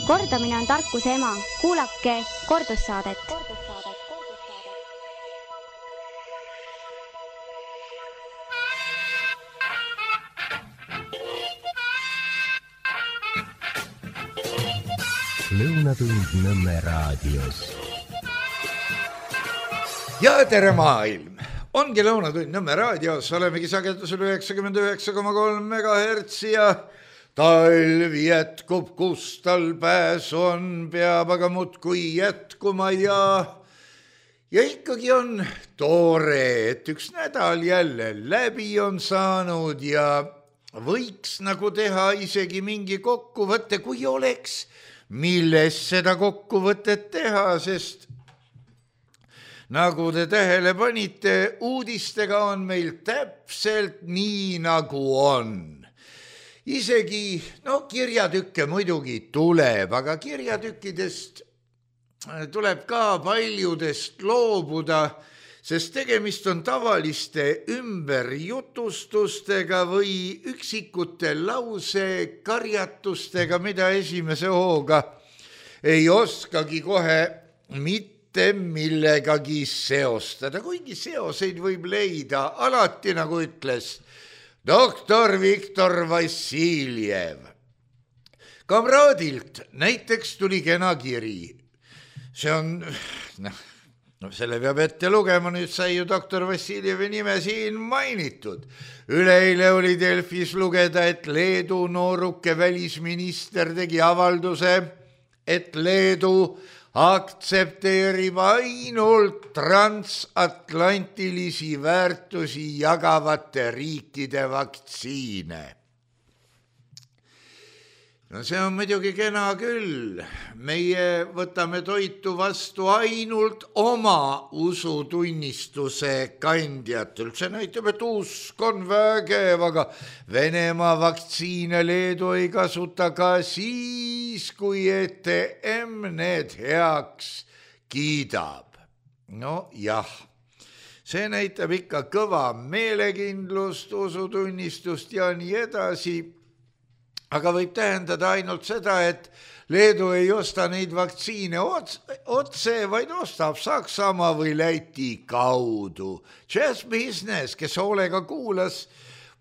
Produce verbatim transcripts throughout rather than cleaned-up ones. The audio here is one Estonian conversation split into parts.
Kordamine on tarkuse ema. Kuulake kordussaadet. Lõunatund Nõmme raadios. Ja tere maailm! Ongi Lõunatund Nõmme raadios. Olemegi sagedusel üheksakümmend üheksa koma kolm megahertsi ja talv jätkub, kus tal pääs on, peab aga muudkui jätkuma ja, ja ikkagi on tore, et üks nädal jälle läbi on saanud ja võiks nagu teha isegi mingi kokkuvõtte, kui oleks, milles seda kokkuvõtet teha, sest nagu te tähele panite, uudistega on meil täpselt nii, nagu on. Isegi, no kirjatükke muidugi tuleb, aga kirjatükkidest tuleb ka paljudest loobuda, sest tegemist on tavaliste ümberjutustustega või üksikute lause karjatustega, mida esimese hooga ei oskagi kohe mitte millegagi seostada, kuigi seoseid võib leida alati, nagu ütles doktor Viktor Vassiljev. Kamraadilt näiteks tuli kena kiri. See on, noh, no selle peab ette lugema, nüüd sai ju doktor Vassiljevi nime siin mainitud. Üleeile oli Delfis lugeda, et Leedu nooruke välisminister tegi avalduse, et Leedu aktsepteerib ainult transatlantilisi väärtusi jagavate riikide vaktsiine. No see on muidugi kena küll. Meie võtame toitu vastu ainult oma usutunnistuse kandjatelt. See näitab, et usk on vägev, aga Venemaa vaktsiine Leedu ei kasuta ka siis, kui E T M need heaks kiidab. No jah, see näitab ikka kõva meelekindlust, usutunnistust ja nii edasi. Aga võib tähendada ainult seda, et Leedu ei osta neid vaktsiine otse, vaid ostab Saksamaa või Läti kaudu. Just business, kes hoolega kuulas,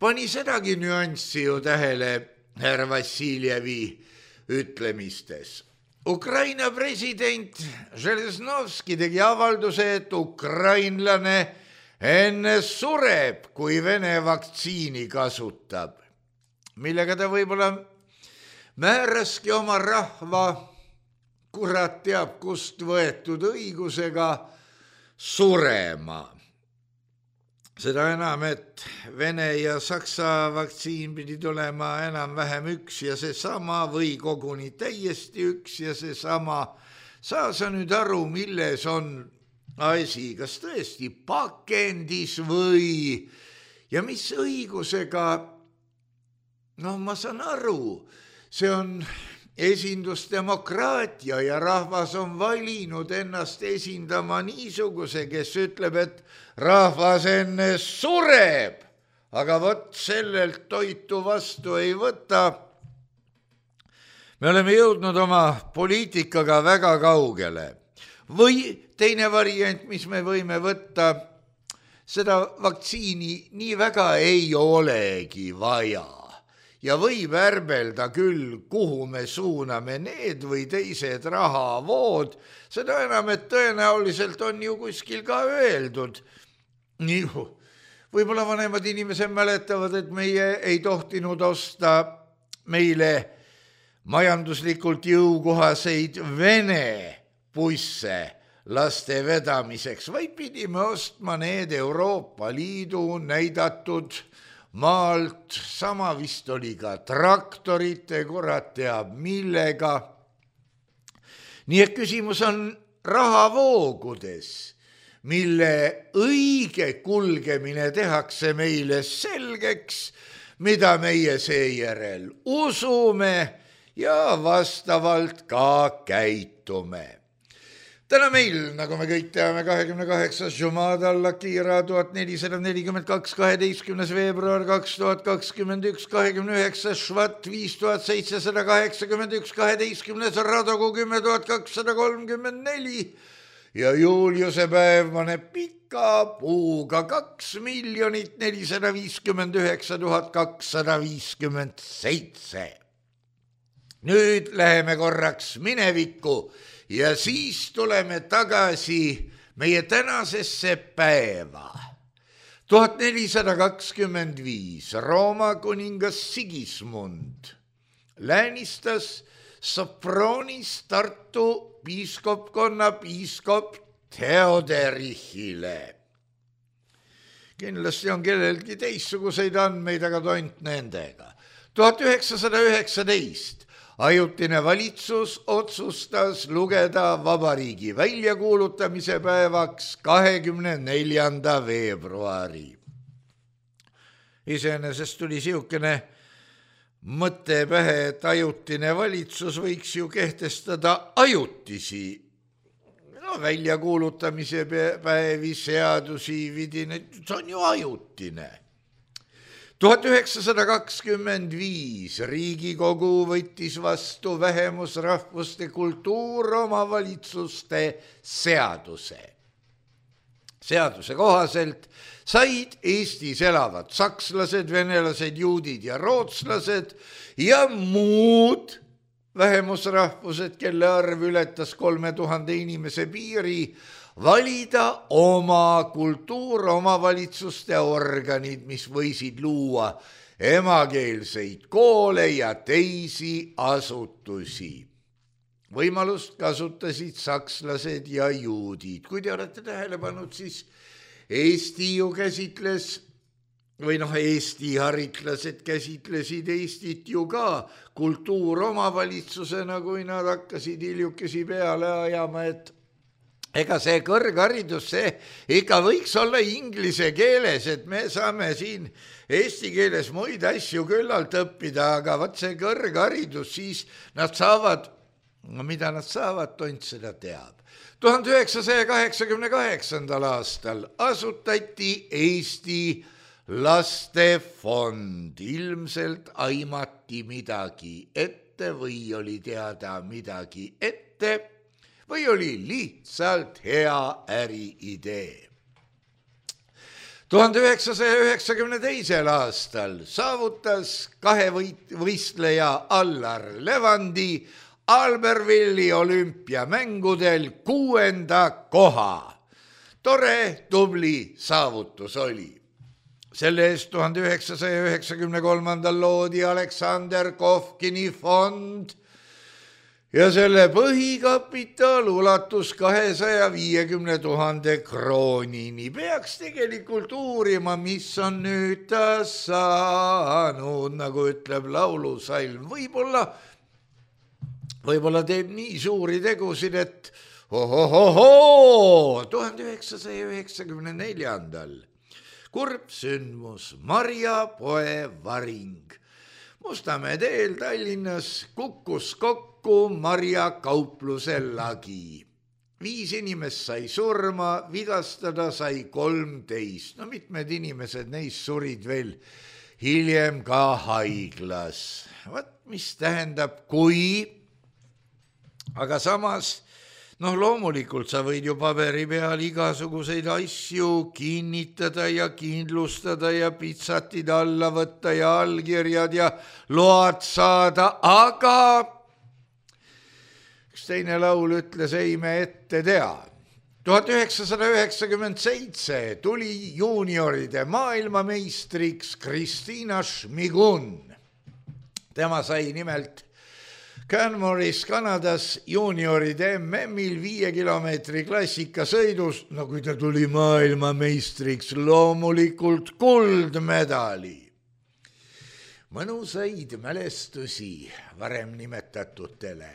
pani sedagi nüanssi ju tähele härra Vassiljevi ütlemistes. Ukraina president Železnovski tegi avalduse, et ukrainlane enne sureb, kui Vene vaktsiini kasutab, millega ta võib-olla määraski oma rahva, kurat teab kust võetud õigusega surema. Seda enam, et Vene ja Saksa vaktsiin pidi tulema enam vähem üks ja seesama või koguni täiesti üks ja seesama. Saa sa nüüd aru, milles on asi, kas tõesti pakendis või ja mis õigusega. No ma saan aru, see on esindusdemokraatia ja rahvas on valinud ennast esindama niisuguse, kes ütleb, et rahvas enne sureb, aga vot sellelt toitu vastu ei võta. Me oleme jõudnud oma poliitikaga väga kaugele. Või teine variant, mis me võime võtta, seda vaktsiini nii väga ei olegi vaja. Ja võib ärbelda küll, kuhu me suuname need või teised rahavood, seda enam, et tõenäoliselt on ju kuskil ka öeldud. Nii, võib-olla vanemad inimesed mäletavad, et meie ei tohtinud osta meile majanduslikult jõukohaseid Vene busse laste vedamiseks, vaid pidime ostma need Euroopa Liidu näidatud maalt, sama vist oli ka traktorite, kurat teab millega. Nii et küsimus on rahavoogudes, mille õige kulgemine tehakse meile selgeks, mida meie seejärel usume ja vastavalt ka käitume. täna meil, nagu me kõik teame, kahekümne kaheksas Jumada Al-Akira tuhat nelisada nelikümmend kaks, kaheteistkümnes veebruar kaks tuhat kakskümmend üks, kahekümne üheksas Švat viis tuhat seitsesada kaheksakümmend üks, kaheteistkümnes Radogu kümme tuhat kakssada kolmkümmend neli ja Juliuse päev paneb pika puuga kaks miljonit nelisada viiskümmend üheksa tuhat kakssada viiskümmend seitse. Nüüd läheme korraks minevikku ja siis tuleme tagasi meie tänasesse päeva. tuhat nelisada kakskümmend viis Rooma kuningas Sigismund läänistas Sopronis Tartu piiskopkonna piiskop Theoderichile. Kindlasti on kellelgi teistsuguseid andmeid, aga tont nendega. tuhat üheksasada üheksateist ajutine valitsus otsustas lugeda vabariigi väljakuulutamise päevaks kahekümne neljanda veebruari. Iseenesest tuli siukene mõte pähe, et ajutine valitsus võiks ju kehtestada ajutisi no, väljakuulutamise päevi, seadusi, vidine, see on ju ajutine. tuhat üheksasada kakskümmend viis Riigikogu võttis vastu vähemusrahvuste kultuuromavalitsuste seaduse. Seaduse kohaselt said Eestis elavad sakslased, venelased, juudid ja rootslased ja muud vähemusrahvused, kelle arv ületas kolme tuhande inimese piiri, valida oma kultuuromavalitsuste organid, mis võisid luua emakeelseid koole ja teisi asutusi. Võimalust kasutasid sakslased ja juudid. Kui te olete tähele pannud, siis Eesti ju käsitles, või noh, Eesti haritlased käsitlesid Eestit ju ka kultuuromavalitsusena, kui nad hakkasid hiljukesi peale ajama, et ega see kõrgharidus, see ikka võiks olla inglise keeles, et me saame siin eesti keeles muid asju küllalt õppida, aga vaat see kõrgharidus, siis nad saavad, no mida nad saavad, tont seda teab. tuhande üheksasaja kaheksakümne kaheksandal aastal asutati Eesti Lastefond. Ilmselt aimati midagi ette või oli teada midagi ette või oli lihtsalt hea äriidee. tuhande üheksasaja üheksakümne teisel aastal saavutas kahe võistleja Allar Levandi Albervilli olümpiamängudel kuuenda koha. Tore, tubli saavutus oli. Selle eest tuhande üheksasaja üheksakümne kolmandal loodi Aleksander Kovkini fond ja selle põhikapital ulatus kahesaja viiekümne tuhande kroonini. Peaks tegelikult uurima, mis on nüüd ta saanud, nagu ütleb laulusalm. Võib-olla, võib-olla teeb nii suuri tegusid, et ohohohoo, tuhande üheksasaja üheksakümne neljandal kurb sündmus, Marja poe varing. Mustamäe teel Tallinnas kukkus kokku Marja kaupluse lagi. Viis inimest sai surma, vigastada sai kolmteist. No mitmed inimesed neist surid veel hiljem ka haiglas. Vat mis tähendab kui, aga samas noh, loomulikult sa võid ju paberi peal igasuguseid asju kinnitada ja kindlustada ja pitsatid alla võtta ja allkirjad ja load saada, aga üks teine laul ütles, ei me ette tea. tuhat üheksasada üheksakümmend seitse tuli juunioride maailmameistriks Kristiina Šmigun. Tema sai nimelt Canmoris Kanadas juunioride M M-il viie kilomeetri klassikasõidus, no kui ta tuli maailmameistriks, loomulikult kuldmedali. Mõnusaid mälestusi varem nimetatutele,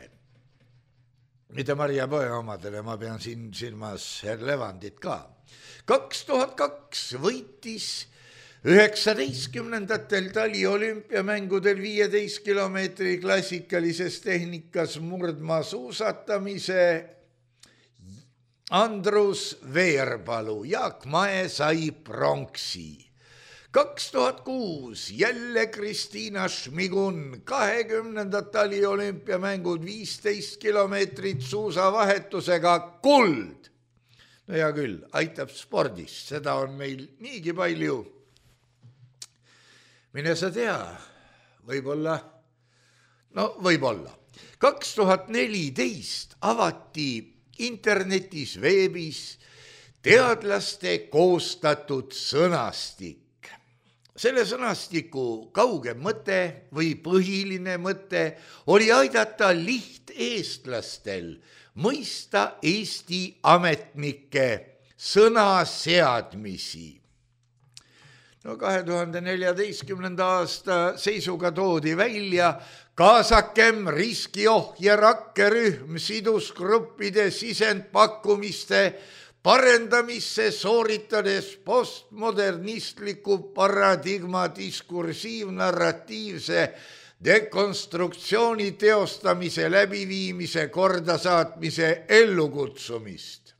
mida Marja poe omadele, ma pean siin silmas Levandit ka. kaks tuhat kaks võitis üheksateistkümnendatel tali olümpiamängudel viieteist kilomeetri klassikalises tehnikas murdmaa suusatamise Andrus Veerpalu, Jaak Mae sai pronksi. kaks tuhat kuus jälle Kristiina Šmigun, kahekümnendad taliolümpiamängud, viisteist kilomeetrit suusavahetusega kuld. No hea küll, aitab spordist, seda on meil niigi palju. Mine sa tea, võib-olla, no võib-olla. kaks tuhat neliteist avati internetis, veebis teadlaste koostatud sõnastik. Selle sõnastiku kaugem mõte või põhiline mõte oli aidata lihteestlastel mõista Eesti ametnike sõnaseadmisi. No kahe tuhande neljateistkümnenda aasta seisuga toodi välja kaasakem riskiohje rakkerühm sidusgruppide sisendpakkumiste parendamisse, sooritades postmodernistliku paradigma diskursiivnarratiivse dekonstruktsiooni teostamise läbiviimise kordasaatmise ellukutsumist.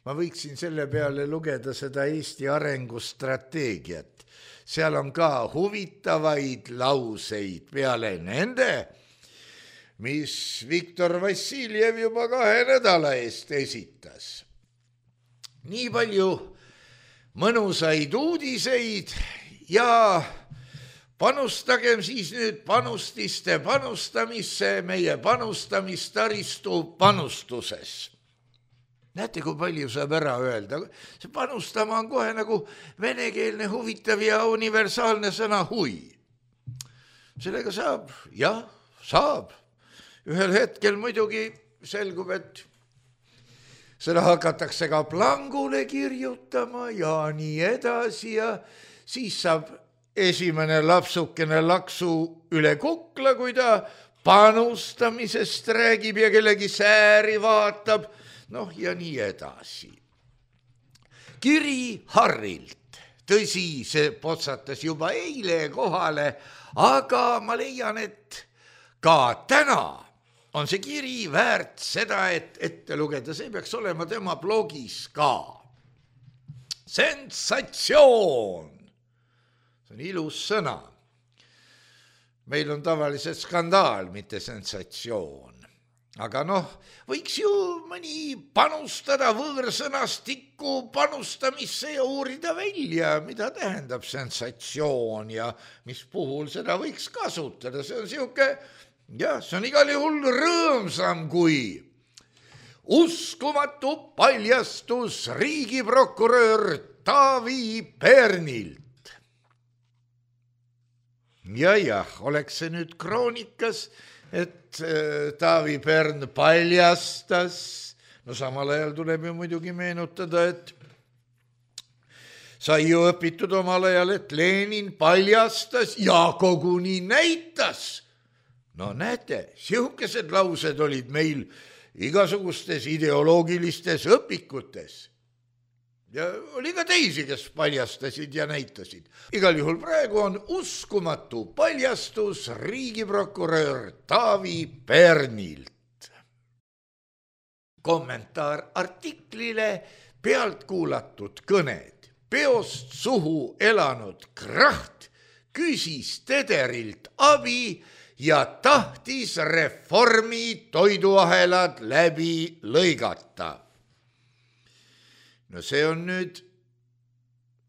Ma võiksin selle peale lugeda seda Eesti arengustrateegiat. Seal on ka huvitavaid lauseid peale nende, mis Viktor Vassiljev juba kahe nädala eest esitas. Nii palju mõnusaid uudiseid ja panustagem siis nüüd panustiste panustamisse meie panustamistaristu panustuses. Näete, kui palju saab ära öelda. See panustama on kohe nagu venekeelne huvitav ja universaalne sõna hui. Sellega saab, jah, saab. Ühel hetkel muidugi selgub, et seda hakatakse ka plangule kirjutama ja nii edasi ja siis saab esimene lapsukene laksu üle kukla, kui ta panustamisest räägib ja kellegi sääri vaatab, noh ja nii edasi. Kiri Harrilt, tõsi, see potsatas juba eile kohale, aga ma leian, et ka täna on see kiri väärt seda, et ette lugeda, see peaks olema tema blogis ka. Sensatsioon! See on ilus sõna. Meil on tavaliselt skandaal, mitte sensatsioon. Aga noh, võiks ju mõni panustada võõrsõnastikku panustamisse ja uurida välja, mida tähendab sensatsioon ja mis puhul seda võiks kasutada. See on siuke, jah, see on igal juhul rõõmsam kui uskumatu paljastus riigiprokurör Taavi Pernilt. Ja jah, oleks see nüüd kroonikas, et Taavi Pern paljastas, no samal ajal tuleb ju muidugi meenutada, et sai ju õpitud omal ajal, et Lenin paljastas ja koguni näitas. No näete, sihukesed laused olid meil igasugustes ideoloogilistes õpikutes. Ja oli ka teisi, kes paljastasid ja näitasid. Igal juhul praegu on uskumatu paljastus riigiprokurör Taavi Pernilt. Kommentaar artiklile pealt kuulatud kõned. Peost suhu elanud kraht küsis Tederilt abi ja tahtis reformi toiduahelad läbi lõigata. No see on nüüd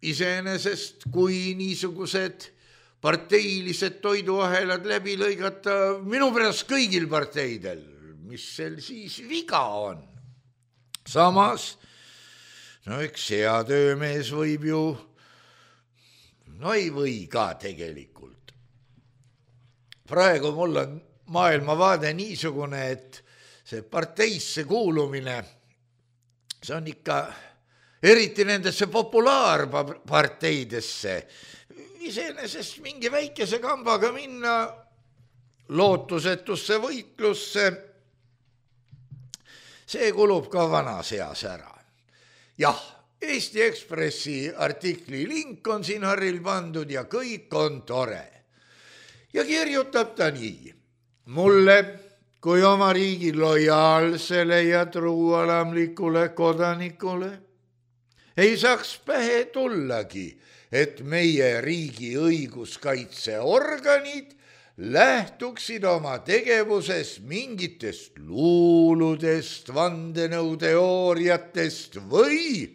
iseenesest, kui niisugused parteilised toiduahelad läbi lõigata minu pärast kõigil parteidel, mis sel siis viga on. Samas, no üks hea töömees võib ju, no ei või ka tegelikult. Praegu mul on maailmavaade niisugune, et see parteisse kuulumine, see on ikka eriti nendesse populaarparteidesse, iseenesest mingi väikese kambaga minna lootusetusse võitlusse, see kulub ka vanas eas ära. Jah, Eesti Ekspressi artikli link on siin Harril pandud ja kõik on tore. Ja kirjutab ta nii. Mulle kui oma riigi lojaalsele ja truualamlikule kodanikule ei saaks pähe tullagi, et meie riigi õiguskaitseorganid lähtuksid oma tegevuses mingitest luuludest, vandenõuteooriatest või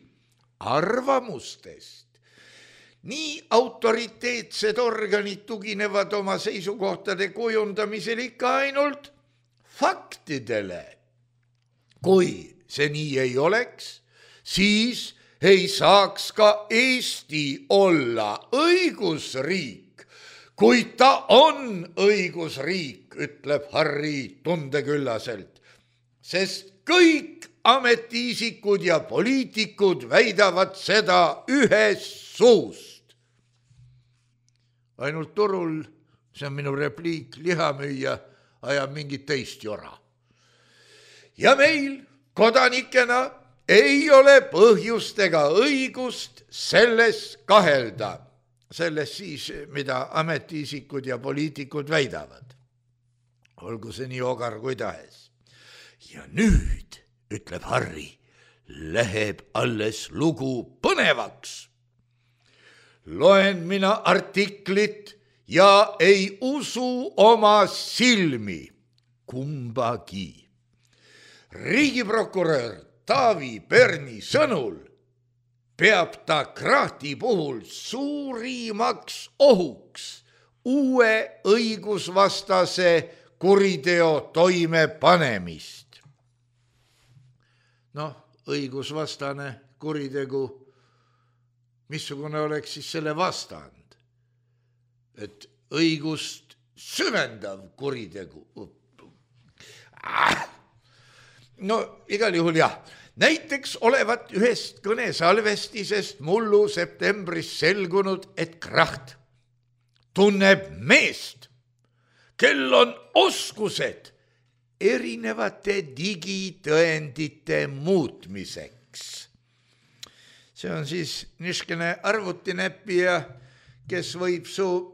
arvamustest. Nii autoriteetsed organid tuginevad oma seisukohtade kujundamisel ikka ainult faktidele. Kui see nii ei oleks, siis ei saaks ka Eesti olla õigusriik. Kuid ta on õigusriik, ütleb Harri tundeküllaselt, sest kõik ametiisikud ja poliitikud väidavad seda ühest suust. Ainult turul, see on minu repliik, lihamüüja ajab mingit teist jora. Ja meil kodanikena ei ole põhjust ega õigust selles kahelda, selles siis, mida ametiisikud ja poliitikud väidavad. Olgu see nii ogar kui tahes. Ja nüüd, ütleb Harri, läheb alles lugu põnevaks. Loen mina artiklit ja ei usu oma silmi kumbagi. Riigiprokurör Taavi Perni sõnul peab ta Krahti puhul suurimaks ohuks uue õigusvastase kuriteo toimepanemist. Noh, õigusvastane kuritegu, missugune oleks siis selle vastand? Et õigust süvendav kuritegu. No igal juhul jah. Näiteks olevat ühest kõnesalvestisest mullu septembris selgunud, et Kraht tunneb meest, kel on oskused erinevate digitõendite muutmiseks. See on siis niskene arvutinäppija, kes võib su,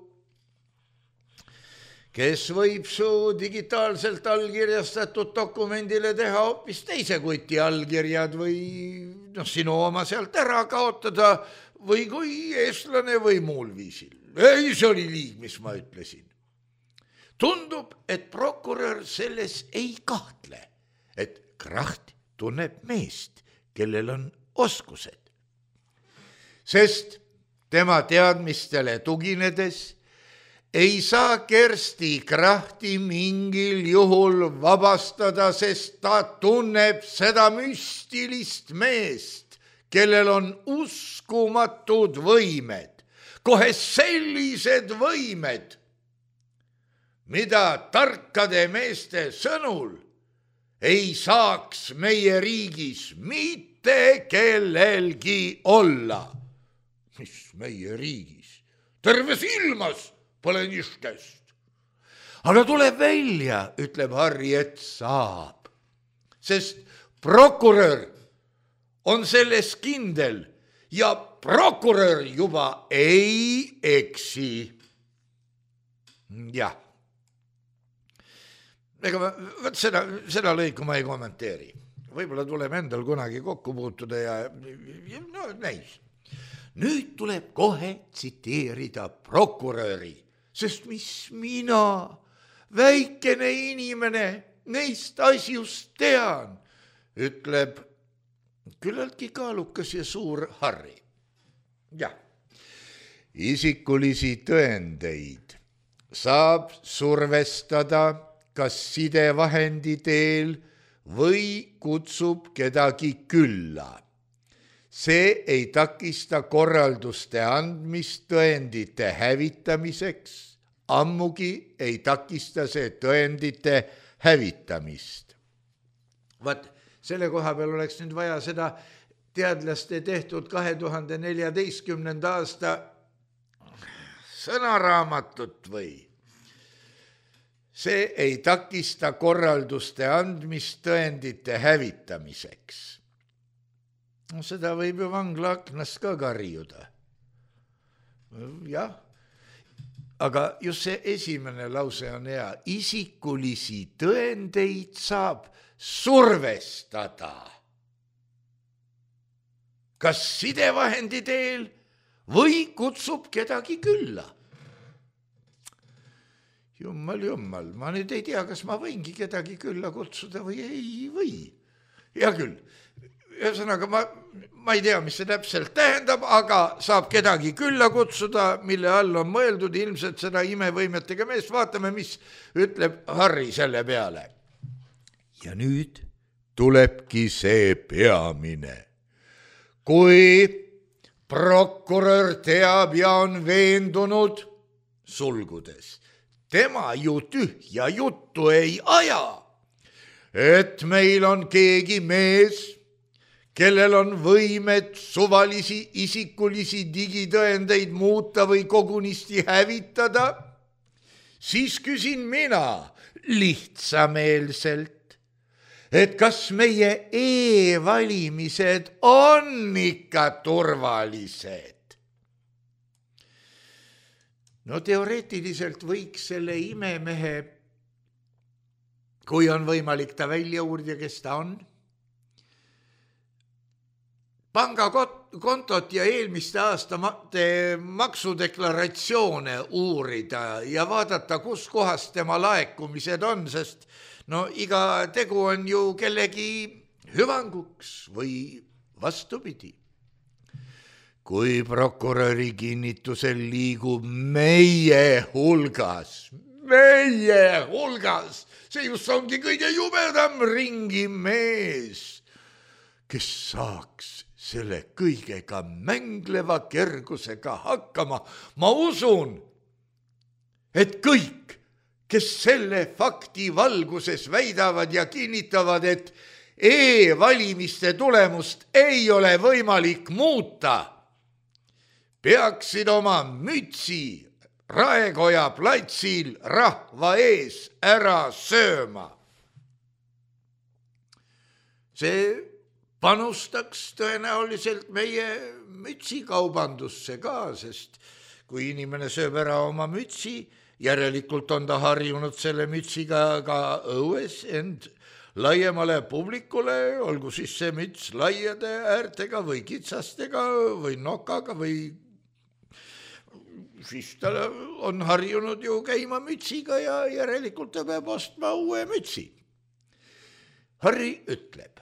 kes võib su digitaalselt allkirjastatud dokumendile teha hoopis teise kuti allkirjad või noh, sinu oma sealt ära kaotada või kui eestlane või muul viisil. Ei, see oli liig, mis ma ütlesin. Tundub, et prokurör selles ei kahtle, et Kraht tunneb meest, kellel on oskused. Sest tema teadmistele tuginedes ei saa Kersti Krahti mingil juhul vabastada, sest ta tunneb seda müstilist meest, kellel on uskumatud võimed, kohe sellised võimed, mida tarkade meeste sõnul ei saaks meie riigis mitte kellelgi olla. Mis meie riigis? Terves ilmas pole niškest. Aga tuleb välja, ütleb Harri, et saab. Sest prokurör on selles kindel ja prokurör juba ei eksi. Jah. Ega võt seda, seda lõiku ma ei kommenteeri. Võib-olla tuleb endal kunagi kokku puutuda ja, ja no näis. Nüüd tuleb kohe tsiteerida prokuröri, sest mis mina, väikene inimene, neist asjust tean, ütleb küllaltki kaalukas ja suur Harri. Jah, isikulisi tõendeid saab survestada kas sidevahendi teel või kutsub kedagi külla. See ei takista korralduste andmist tõendite hävitamiseks, ammugi ei takista see tõendite hävitamist. Vaat, selle koha peal oleks nüüd vaja seda teadlaste tehtud kahe tuhande neljateistkümnenda aasta sõnaraamatut või. See ei takista korralduste andmist tõendite hävitamiseks. No, seda võib ju vangla aknast ka karjuda. Jah, aga just see esimene lause on hea. Isikulisi tõendeid saab survestada. Kas sidevahendi teel või kutsub kedagi külla? Jummal, jummal, ma nüüd ei tea, kas ma võingi kedagi külla kutsuda või ei või. Hea küll, ühesõnaga ma, ma ei tea, mis see täpselt tähendab, aga saab kedagi külla kutsuda, mille all on mõeldud ilmselt seda imevõimetega meest. Vaatame, mis ütleb Harri selle peale. Ja nüüd tulebki see peamine. Kui prokurör teab ja on veendunud sulgudes, tema ju tühja juttu ei aja, et meil on keegi mees, kellel on võimet suvalisi isikulisi digitõendeid muuta või kogunisti hävitada, siis küsin mina lihtsameelselt, et kas meie e-valimised on ikka turvalised. No teoreetiliselt võiks selle imemehe, kui on võimalik ta välja uurida, kes ta on, pangakontot ja eelmiste aastate maksudeklaratsioone uurida ja vaadata, kus kohas tema laekumised on, sest no iga tegu on ju kellegi hüvanguks või vastupidi. Kui prokuröri kinnitusel liigub meie hulgas, meie hulgas, see just ongi kõige jubedam ringi mees, kes saaks selle kõigega mängleva kergusega hakkama. Ma usun, et kõik, kes selle fakti valguses väidavad ja kinnitavad, et e-valimiste tulemust ei ole võimalik muuta, peaksid oma mütsi Raekoja platsil rahva ees ära sööma. See panustaks tõenäoliselt meie mütsikaubandusse ka, sest kui inimene sööb ära oma mütsi, järelikult on ta harjunud selle mütsiga ka õues end laiemale publikule, olgu siis see müts laiade äärtega või kitsastega või nokaga või siis ta on harjunud ju käima mütsiga ja järelikult ta peab ostma uue mütsi. Harri ütleb,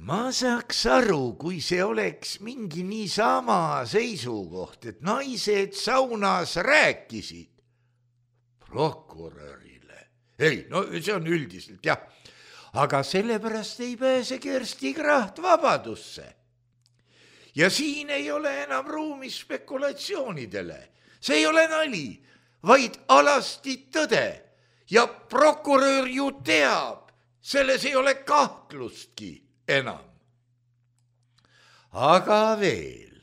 ma saaks aru, kui see oleks mingi niisama seisukoht, et naised saunas rääkisid prokurörile. Ei, no see on üldiselt, jah. Aga sellepärast ei pääse Kersti Kracht vabadusse. Ja siin ei ole enam ruumi spekulatsioonidele. See ei ole nali, vaid alasti tõde. Ja prokurör ju teab, selles ei ole kahtlustki enam. Aga veel.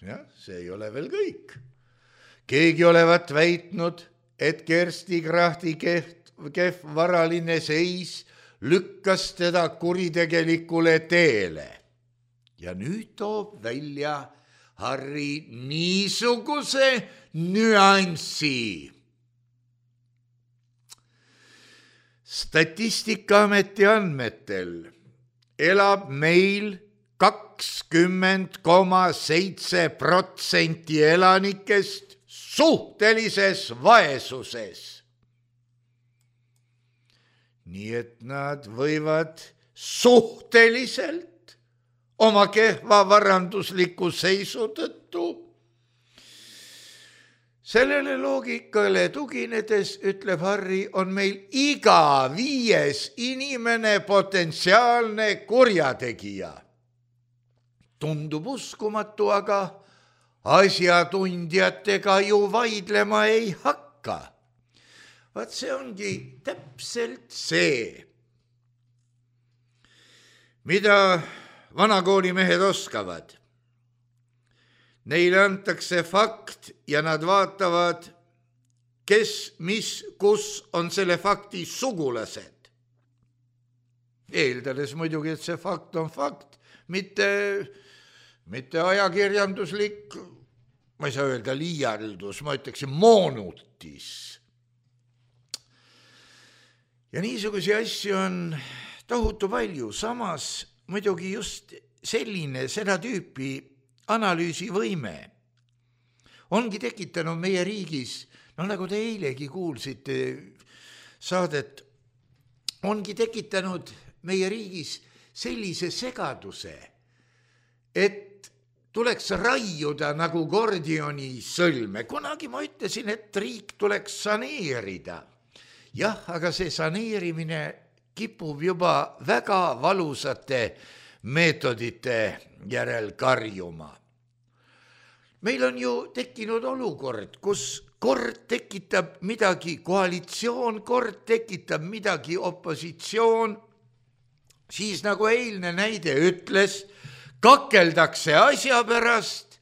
Jah, see ei ole veel kõik. Keegi olevat väitnud, et Kersti Krachti kehv, kehv varaline seis lükkas teda kuritegelikule teele. Ja nüüd toob välja Harri niisuguse nüanssi. Statistikaameti andmetel elab meil kakskümmend koma seitse protsenti elanikest suhtelises vaesuses. Nii et nad võivad suhteliselt oma kehva varandusliku seisu tõttu. Sellele loogikale tuginedes, ütleb Harri, on meil iga viies inimene potentsiaalne kurjategija. Tundub uskumatu, aga asjatundjatega ju vaidlema ei hakka. Vaat see ongi täpselt see, mida vanakoolimehed oskavad. Neile antakse fakt ja nad vaatavad, kes, mis, kus on selle fakti sugulased. Eeldades muidugi, et see fakt on fakt, mitte, mitte ajakirjanduslik ma ei saa öelda liialdus, ma ütleksin moonutis. Ja niisugusi asju on tohutu palju, samas muidugi just selline seda tüüpi analüüsivõime ongi tekitanud meie riigis, no nagu te eilegi kuulsite saadet, ongi tekitanud meie riigis sellise segaduse, et tuleks raiuda nagu Gordioni sõlme. Kunagi ma ütlesin, et riik tuleks saneerida. Jah, aga see saneerimine kipub juba väga valusate meetodite järel karjuma. Meil on ju tekkinud olukord, kus kord tekitab midagi koalitsioon, kord tekitab midagi opositsioon, siis nagu eilne näide ütles, kakeldakse asja pärast,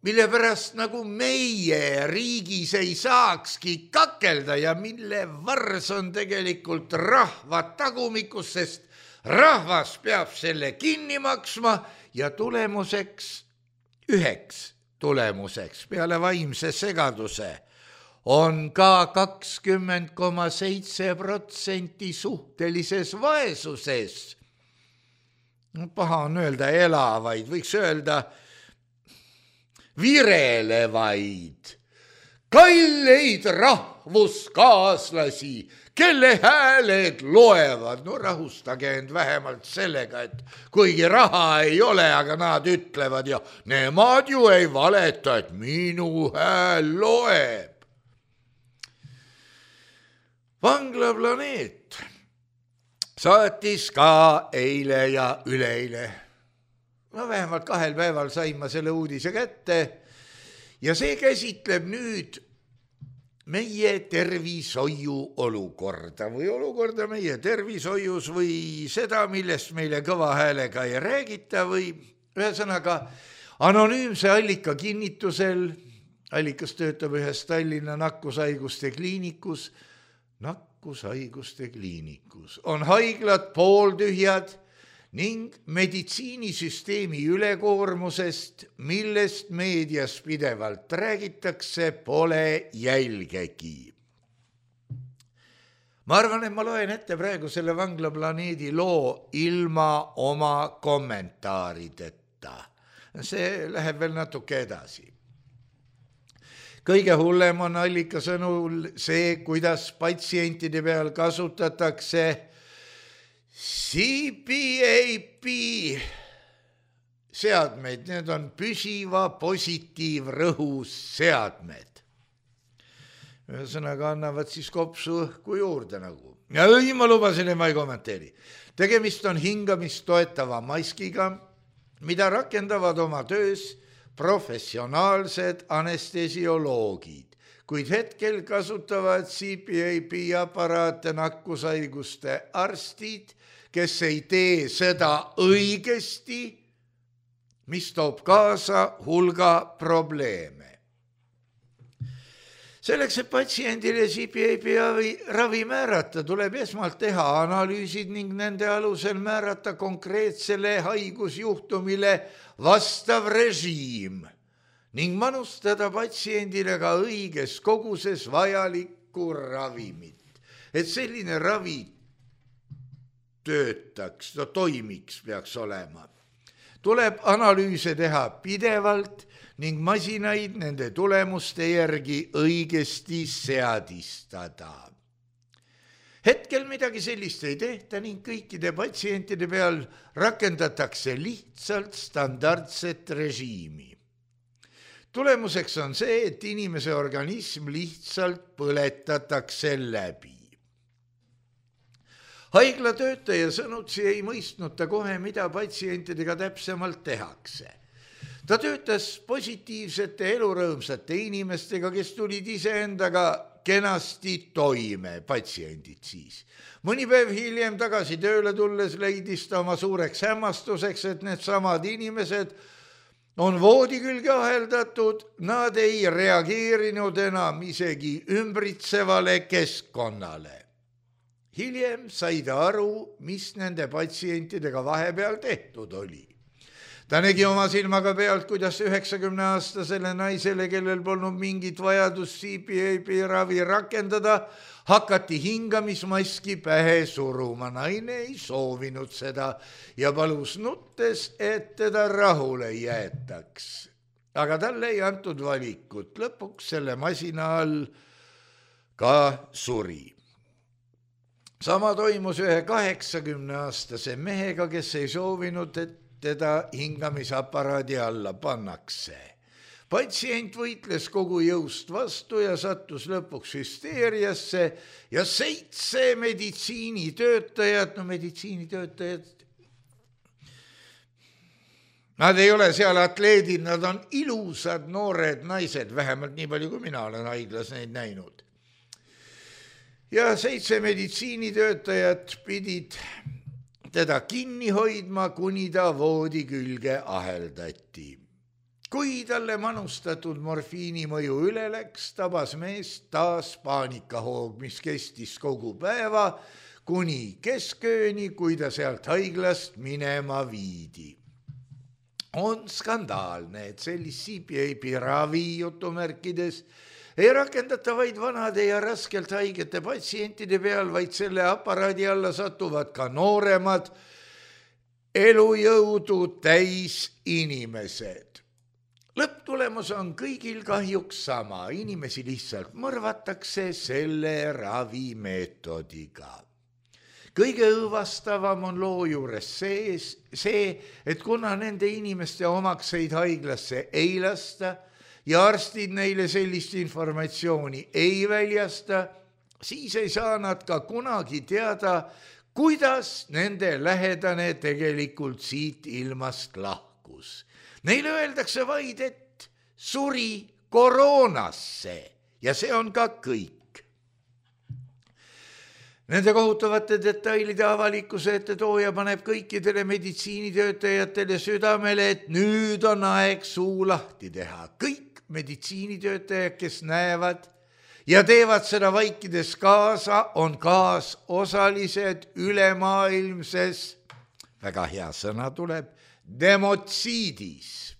mille pärast nagu meie riigis ei saakski kakelda ja mille vars on tegelikult rahva tagumikus, sest rahvas peab selle kinni maksma ja tulemuseks, üheks tulemuseks peale vaimse segaduse on ka kakskümmend koma seitse protsenti suhtelises vaesuses. Paha on öelda elavaid, võiks öelda virelevaid, kalleid rahvuskaaslasi, kelle hääled loevad. No rahustage end vähemalt sellega, et kuigi raha ei ole, aga nad ütlevad ja nemad ju ei valeta, et minu hääl loeb. Vanglaplaneet saatis ka eile ja üleeile. No vähemalt kahel päeval sain ma selle uudise kätte ja see käsitleb nüüd meie tervishoiu olukorda või olukorda meie tervishoius või seda, millest meile kõva häälega ei räägita või ühesõnaga anonüümse allika kinnitusel, allikas töötab ühes Tallinna nakkushaiguste kliinikus, nakkushaiguste kliinikus on haiglad pooltühjad ning meditsiinisüsteemi ülekoormusest, millest meedias pidevalt räägitakse, pole jälgegi. Ma arvan, et ma loen ette praegu selle Vanglaplaneedi loo ilma oma kommentaarideta. See läheb veel natuke edasi. Kõige hullem on allika sõnul see, kuidas patsientide peal kasutatakse C P A P seadmeid, need on püsiva positiivrõhus seadmed. Ühesõnaga annavad siis kopsu õhku juurde nagu. Ja õi, ma lubasin, et ma ei kommenteeri. Tegemist on hingamist toetava maskiga, mida rakendavad oma töös professionaalsed anestesioloogid, kuid hetkel kasutavad C P A P aparaate nakkushaiguste arstid, kes ei tee seda õigesti, mis toob kaasa hulga probleeme. Selleks, et patsiendile C P A P ravi määrata, tuleb esmalt teha analüüsid ning nende alusel määrata konkreetsele haigusjuhtumile vastav režiim ning manustada patsiendile ka õiges koguses vajalikku ravimit. Et selline ravi töötaks, no toimiks peaks olema. Tuleb analüüse teha pidevalt ning masinaid nende tulemuste järgi õigesti seadistada. Hetkel midagi sellist ei tehta ning kõikide patsientide peal rakendatakse lihtsalt standardset režiimi. Tulemuseks on see, et inimese organism lihtsalt põletatakse läbi. Haiglatöötaja sõnutsi ei mõistnud ta kohe, mida patsientidega täpsemalt tehakse. Ta töötas positiivsete elurõõmsate inimestega, kes tulid iseendaga kenasti toime, patsiendid siis. Mõni päev hiljem tagasi tööle tulles leidis ta oma suureks hämmastuseks, et need samad inimesed on voodi külge aheldatud, nad ei reageerinud enam isegi ümbritsevale keskkonnale. Hiljem sai ta aru, mis nende patsientidega vahepeal tehtud oli. ta nägi oma silmaga pealt, kuidas üheksakümne aastasele naisele, kellel polnud mingit vajadust C P A P ravi rakendada, hakati hingamismaski pähe suruma. Naine ei soovinud seda ja palus nuttes, et teda rahule jäetaks. Aga talle ei antud valikut. Lõpuks selle masina all ka suri. Sama toimus ühe kaheksakümne aastase mehega, kes ei soovinud, et teda hingamisaparaadi alla pannakse. Patsient võitles kogu jõust vastu ja sattus lõpuks hüsteeriasse ja seitse meditsiinitöötajad, no meditsiinitöötajad, nad ei ole seal atleedid, nad on ilusad noored naised, vähemalt nii palju, kui mina olen haiglas neid näinud. Ja seitse meditsiinitöötajat pidid teda kinni hoidma, kuni ta voodi külge aheldati. Kui talle manustatud morfiini mõju üle läks, tabas meest taas paanikahoog, mis kestis kogu päeva, kuni keskööni, kui ta sealt haiglast minema viidi. On skandaalne, et sellist C P A P ravi jutumärkides ei rakendata vaid vanade ja raskelt haigete patsientide peal, vaid selle aparaadi alla satuvad ka nooremad elujõudu täis inimesed. Lõpptulemus on kõigil kahjuks sama, inimesi lihtsalt mõrvatakse selle ravimeetodiga. Kõige õõvastavam on loo juures see, see, et kuna nende inimeste omakseid haiglasse ei lasta, ja arstid neile sellist informatsiooni ei väljasta, siis ei saa nad ka kunagi teada, kuidas nende lähedane tegelikult siit ilmast lahkus. Neile öeldakse vaid, et suri koroonasse ja see on ka kõik. Nende kohutavate detailide avalikkuse ette tooja paneb kõikidele meditsiinitöötajatele südamele, et nüüd on aeg suu lahti teha. Kõik meditsiinitöötajad, kes näevad ja teevad seda vaikides kaasa, on kaasosalised ülemaailmses, väga hea sõna tuleb, demotsiidis.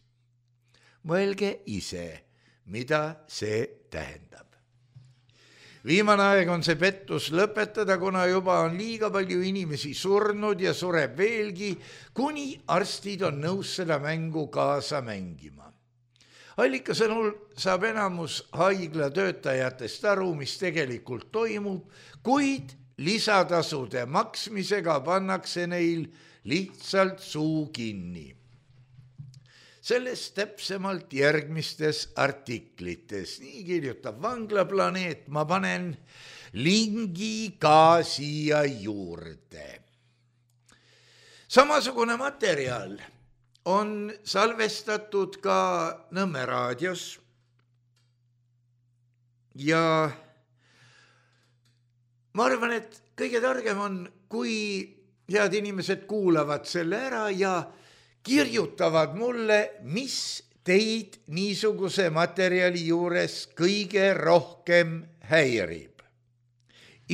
Mõelge ise, mida see tähendab. Viimane aeg on see pettus lõpetada, kuna juba on liiga palju inimesi surnud ja sureb veelgi, kuni arstid on nõus seda mängu kaasa mängima. Allika sõnul saab enamus haigla töötajatest aru, mis tegelikult toimub, kuid lisatasude maksmisega pannakse neil lihtsalt suu kinni. Sellest täpsemalt järgmistes artiklites. Nii kirjutab Vanglaplaneet, ma panen lingi ka siia juurde. Samasugune materjal on salvestatud ka Nõmme raadios ja ma arvan, et kõige targem on, kui head inimesed kuulavad selle ära ja kirjutavad mulle, mis teid niisuguse materjali juures kõige rohkem häirib.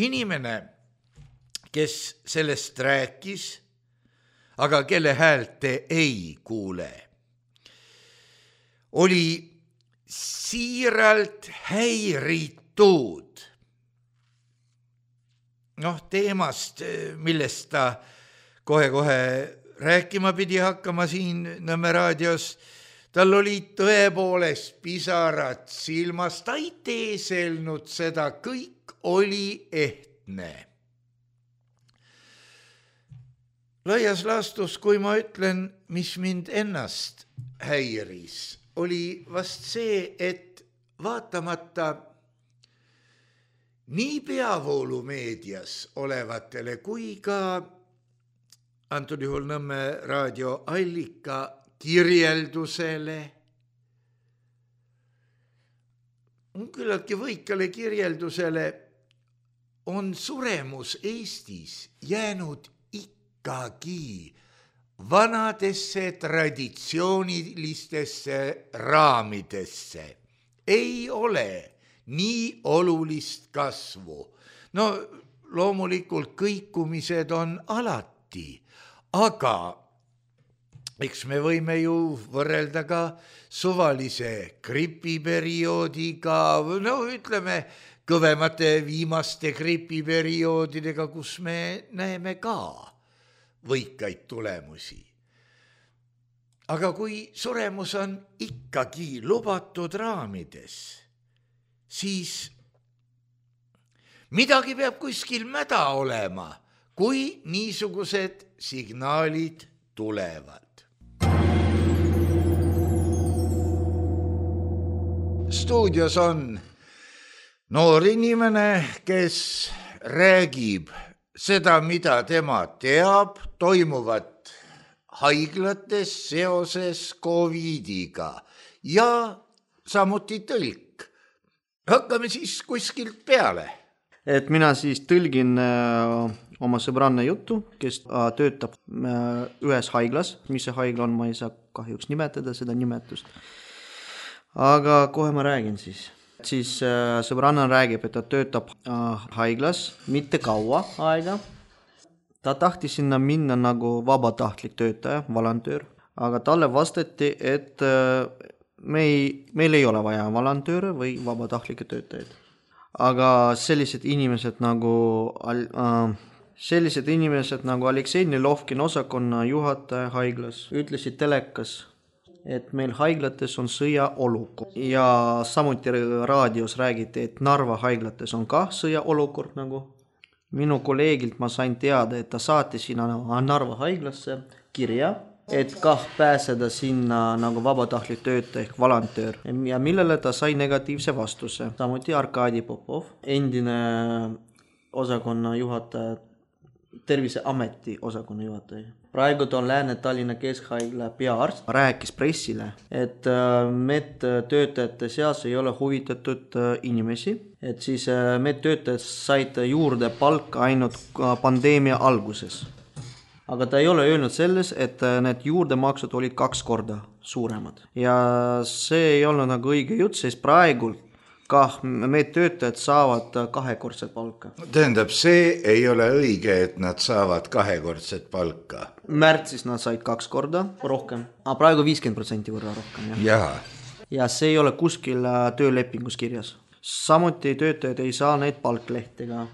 Inimene, kes sellest rääkis, aga kelle häält te ei kuule, oli siiralt häiritud. Noh, teemast, millest ta kohe-kohe rääkima pidi hakkama siin Nõmme raadios, tal oli tõepoolest pisarad silmas, ta ei teeselnud seda, kõik oli ehtne. Laias laastus, kui ma ütlen, mis mind ennast häiris, oli vast see, et vaatamata nii peavoolumeedias olevatele kui ka antud juhul Nõmme raadio Allika kirjeldusele, küllaltki võikale kirjeldusele on suremus Eestis jäänud ikkagi vanadesse traditsioonilistesse raamidesse. Ei ole nii olulist kasvu. No loomulikult kõikumised on alati, aga eks me võime ju võrrelda ka suvalise gripiperioodiga, no ütleme kõvemate viimaste gripiperioodidega, kus me näeme ka võikaid tulemusi. Aga kui suremus on ikkagi lubatud raamides, siis midagi peab kuskil mäda olema, kui niisugused signaalid tulevad. Stuudios on noor inimene, kes räägib seda, mida tema teab, toimuvat haiglates seoses covidiga ja samuti tõlk. Hakkame siis kuskilt peale. Et mina siis tõlgin äh, oma sõbranna juttu, kes äh, töötab äh, ühes haiglas. Mis see haigla on, ma ei saa kahjuks nimetada seda nimetust. Aga kohe ma räägin siis. Siis äh, sõbranna räägib, et ta töötab äh, haiglas mitte kaua aega. Ta tahtis sinna minna nagu vabatahtlik töötaja, volontöör. Aga talle vastati, et äh, me ei, meil ei ole vaja volontööre või vabatahtlikke töötajaid. Aga sellised inimesed nagu äh, sellised inimesed nagu Aleksei Nilovkin, osakonna juhataja haiglas, ütlesid telekas, et meil haiglates on sõjaolukord. Ja samuti raadios räägiti, et Narva haiglates on ka sõjaolukord nagu. Minu kolleegilt ma sain teada, et ta saati sinna Narva haiglasse kirja, et kah pääseda sinna nagu vabatahtlik töötaja ehk volontöör. Ja millele ta sai negatiivse vastuse. Samuti Arkadi Popov, endine osakonna juhataja, Terviseameti osakonna juhataja. Praegu ta on Lääne-Tallinna Keskhaigla peaarst. Rääkis pressile, et medtöötajate seas ei ole huvitatud inimesi. Et siis medtöötajad said juurde palka ainult pandeemia alguses. Aga ta ei ole öelnud selles, et need juurdemaksud olid kaks korda suuremad. Ja see ei ole nagu õige jutt, sest praegu kah meid töötajad saavad kahekordset palka. Tähendab, see ei ole õige, et nad saavad kahekordset palka. Märtsis nad said kaks korda rohkem, aga praegu viiskümmend protsenti võrra rohkem. Ja. ja see ei ole kuskil töölepingus kirjas. Samuti töötajad ei saa neid palklehtega.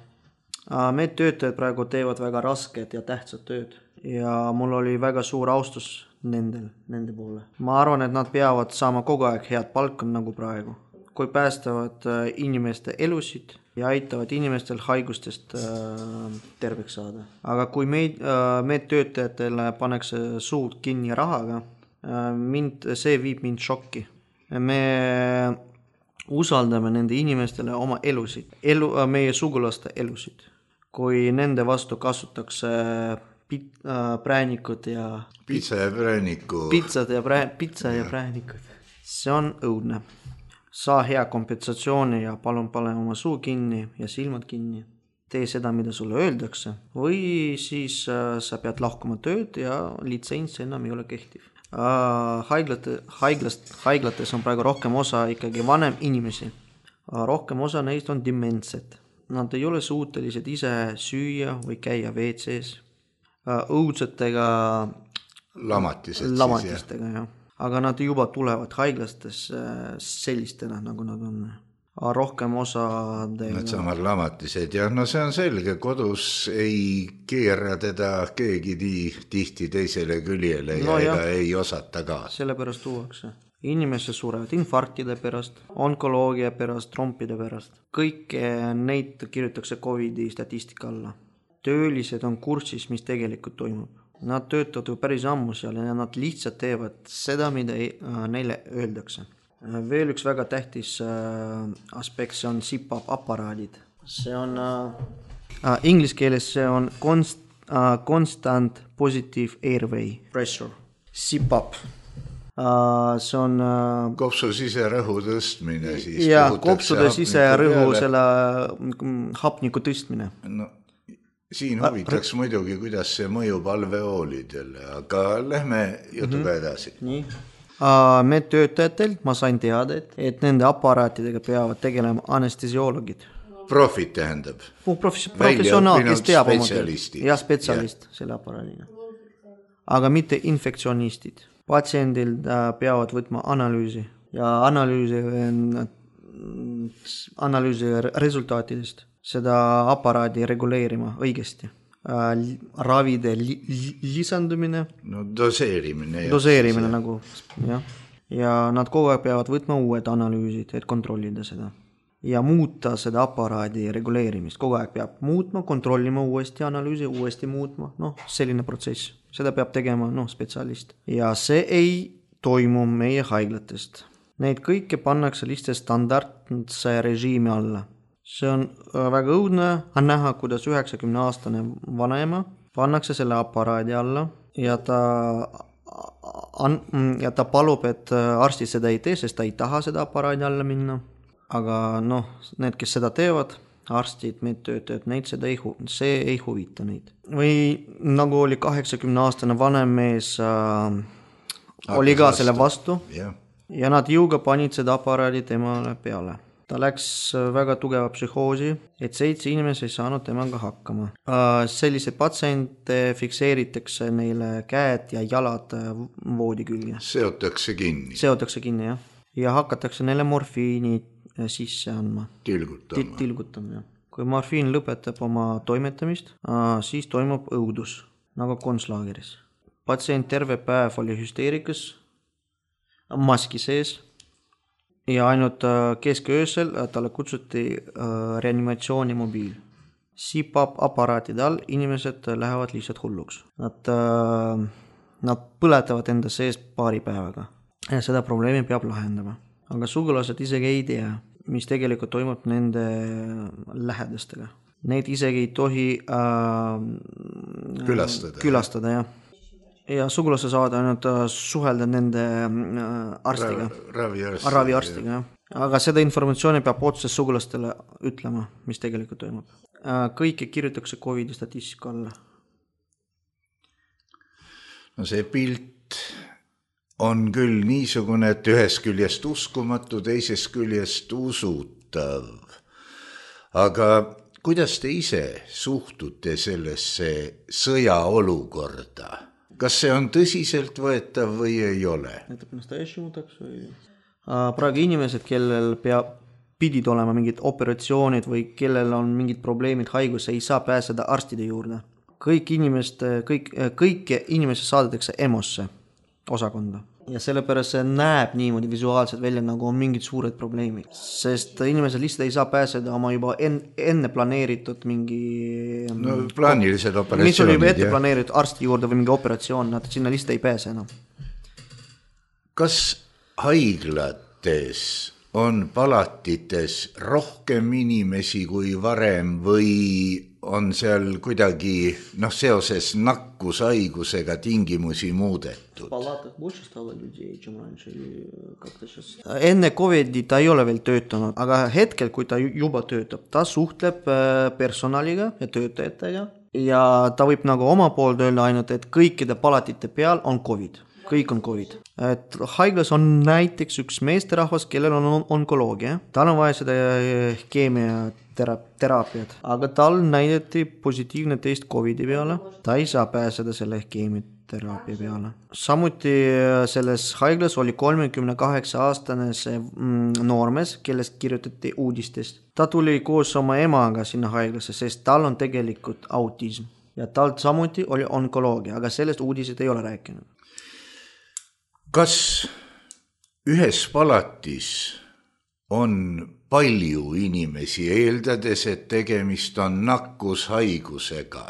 Meid töötajad praegu teevad väga rasket ja tähtsat tööd. Ja mul oli väga suur austus nendel, nende poole. Ma arvan, et nad peavad saama kogu aeg head palka nagu praegu. Kui päästavad inimeste elusid ja aitavad inimestel haigustest terveks saada. Aga kui meid, meid töötajatele paneks suud kinni rahaga, mind, see viib mind šokki. Me usaldame nende inimestele oma elusid, elu, meie sugulaste elusid. Kui nende vastu kasutakse pit, präänikud ja... Pitsa ja prääniku. Pitsad ja, prää, pitsa ja präänikud. See on õudne. Saa hea kompensatsiooni ja palun pane oma suu kinni ja silmad kinni. Tee seda, mida sulle öeldakse. Või siis äh, sa pead lahkuma tööd ja litsents enam ei ole kehtiv. Äh, haiglate, haiglast, haiglates on praegu rohkem osa ikkagi vanem inimesi. Äh, rohkem osa neist on dementsed. Nad ei ole suutelised ise süüa või käia W C-s. Äh, õudsetega Lamatised lamatistega, jah. Aga nad juba tulevad haiglastes sellistena, nagu nad on. Rohkem osa... Nad samad lamatised ja no see on selge, kodus ei keera teda keegi tihti teisele küljele ja no ega jah. Ei osata ka. Sellepärast tuuakse. Inimesed surevad infarktide pärast, onkoloogia pärast, trompide pärast. Kõik neid kirjutakse covidi statistika alla. Töölised on kursis, mis tegelikult toimub. Nad töötavad ju päris ammu seal ja nad lihtsalt teevad seda, mida ei, äh, neile öeldakse. Veel üks väga tähtis äh, aspekt, see on C P A P aparaadid. See on äh, inglise keeles see on const, äh, constant positive airway pressure. C P A P. Uh, see on uh, kopsu siserõhu tõstmine siis. Ja, kopsude siserõhu selle hapniku tõstmine. No, siin huvitaks uh, muidugi, kuidas see mõjub alveoolidele, aga lähme jutuga mm-hmm. edasi. Nii. Uh, me töötajatel ma sain teada, et, et nende aparaatidega peavad tegelema anestesiologid. Profid tähendab? Profes- professionaal, kes teab oma tööd. Ja spetsialist ja. Selle aparaadiga. aga mitte infektsionistid. Patsiendil peavad võtma analüüsi ja analüüsi, analüüsi resultaatidest seda aparaadi reguleerima õigesti. Ravide li, lisandumine, no doseerimine, doseerimine nagu, jah. Ja nad kogu aeg peavad võtma uued analüüsid, et kontrollida seda. Ja muuta seda aparaadi reguleerimist. Kogu aeg peab muutma, kontrollima uuesti analüüsi, uuesti muutma. Noh, selline protsess. Seda peab tegema noh, spetsialist. Ja see ei toimu meie haiglatest. Neid kõike pannakse lihtsalt standardse režiimi alla. See on väga õudne näha, kuidas üheksakümne aastane vanaema pannakse selle aparaadi alla ja ta, ja ta palub, et arstid seda ei tee, sest ta ei taha seda aparaadi alla minna. Aga noh, need, kes seda teevad, arstid, meid töötajad, neid seda ei, see ei huvita neid. Või nagu oli kaheksakümne aastane vanem mees äh, oli ka selle vastu yeah. Ja nad jõuga panid seda aparaadi temale peale. Ta läks väga tugeva psühhoosi, et seitse inimesi ei saanud temaga hakkama. Sellised patsiente fikseeritakse neile käed ja jalad voodi külge. Seotakse kinni. Seotakse kinni, jah. Ja hakatakse neile morfiini sisse andma. Tilgutama. Tilgutama, jah. Kui morfiin lõpetab oma toimetamist, siis toimub õudus, nagu konslaageris. Patsient terve päev oli hüsteerikas, maski sees, ja ainult kesköösel talle kutsuti reanimatsiooni mobiil. Sipab aparaatide all, inimesed lähevad lihtsalt hulluks. Nad, nad põletavad enda sees paari päevaga. Ja seda probleemi peab lahendama. Aga sugulased isegi ei tea, mis tegelikult toimub nende lähedastega. Neid isegi ei tohi äh, külastada, külastada, jah. Ja sugulase saada ainult suhelda nende arstiga. Raviarstiga. Raviarstiga, jah. Aga seda informatsiooni peab otses sugulastele ütlema, mis tegelikult toimub. Kõike kirjutatakse COVID statistika alla. No see pilt on küll niisugune, et ühest küljest uskumatu, teisest küljest usutav. Aga kuidas te ise suhtute sellesse sõjaolukorda? Kas see on tõsiselt võetav või ei ole? Praegu inimesed, kellel peab, pidid olema mingid operatsioonid või kellel on mingid probleemid, haigus, ei saa pääseda arstide juurde. Kõik inimest, kõik, kõike inimesed saadetakse EMOsse osakonda. Ja sellepärast see näeb niimoodi visuaalselt välja, nagu on mingid suured probleemid. Sest inimesed lihtsalt ei saa pääseda oma juba enne planeeritud mingi... No plaanilised operatsioonid. Mis oli juba ette planeeritud arsti juurde või mingi operatsioon, nad sinna lihtsalt ei pääse enam. Kas haiglates on palatites rohkem inimesi kui varem või on seal kuidagi noh, seoses nakkushaigusega tingimusi muudetud? Enne COVID ta ei ole veel töötanud, aga hetkel, kui ta juba töötab, ta suhtleb personaliga ja töötajatega ja ta võib nagu oma poolt öelda ainult, et kõikide palatite peal on COVID. Kõik on COVID. Et haiglas on näiteks üks meesterahvas, kellel on onkoloogia. Tal on vaja seda keemiateraapiat, aga tal näidati positiivne test COVIDi peale. Ta ei saa pääseda selle keemiateraapia peale. Samuti selles haiglas oli kolmekümne kaheksa aastane see noormees, kellest kirjutati uudistest. Ta tuli koos oma emaga sinna haiglasse, sest tal on tegelikult autism. Ja tal samuti oli onkoloogia, aga sellest uudised ei ole rääkinud. Kas ühes palatis on palju inimesi, eeldades, et tegemist on nakkushaigusega?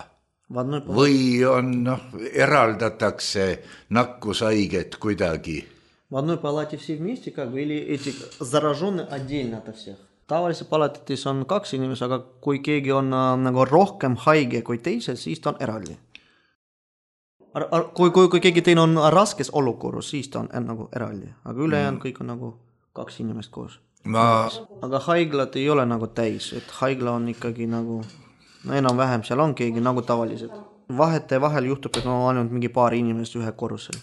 Või on, noh, eraldatakse nakkushaiget kuidagi? В одной палате все вместе, как бы, или эти зараженные отдельно от всех? Tavaliselt palatitis on kaks inimest, aga kui keegi on nagu rohkem haige kui teised, siis ta on eraldi. Kui, kui, kui keegi teine on raskes olukorras, siis ta on nagu eraldi. Aga ülejäänud kõik on nagu kaks inimest koos. Ma... Aga haiglad ei ole nagu täis, et haigla on ikkagi nagu, no enam vähem seal on keegi nagu tavaliselt. Vahete vahel juhtub, et on ainult mingi paari inimest ühe korrusel.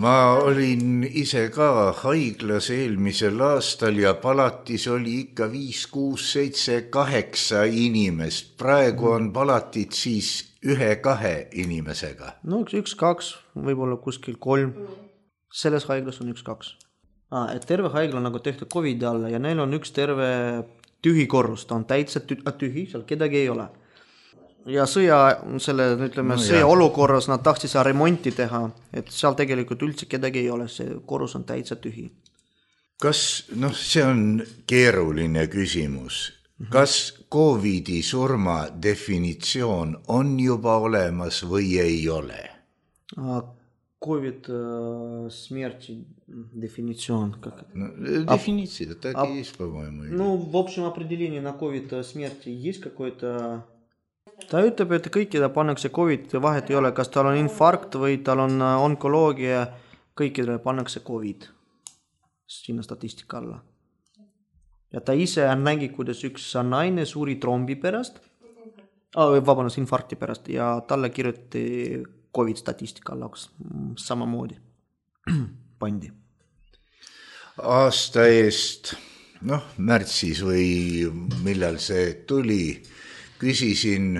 ma olin ise ka haiglas eelmisel aastal ja palatis oli ikka viis, kuus, seitse, kaheksa inimest. Praegu on palatit siis ühe, kahe inimesega. No üks, üks, kaks, võib-olla kuskil kolm. Selles haiglas on üks, kaks. Ah, et terve haigla on nagu tehtud COVID alla ja neil on üks terve tühi korrus. Ta on täitsa tühi, seal kedagi ei ole. Ja sõja, selle, ütleme, no, sõja olukorras nad tahtsid seal remonti teha, et seal tegelikult üldse kedagi ei ole, see korrus on täitsa tühi. Kas, noh, see on keeruline küsimus. Kas COVIDi surma definitsioon on juba olemas või ei ole? COVID смерти definitsioon. No, definitsioon, это так и есть, по-моему. Ну, в общем определении на COVID смерти есть какой-то... Ta ütleb, et kõikide pannakse COVID, vahet ei ole, kas tal on infarkt või tal on onkoloogia, kõikidele pannakse COVID sinna statistika alla. Ja ta ise nägi, kuidas üks naine suuri trombi pärast, ah, vabandust, infarkti pärast ja talle kirjuti COVID statistika alla samamoodi pandi. Aasta eest, noh, märtsis või millal see tuli, küsisin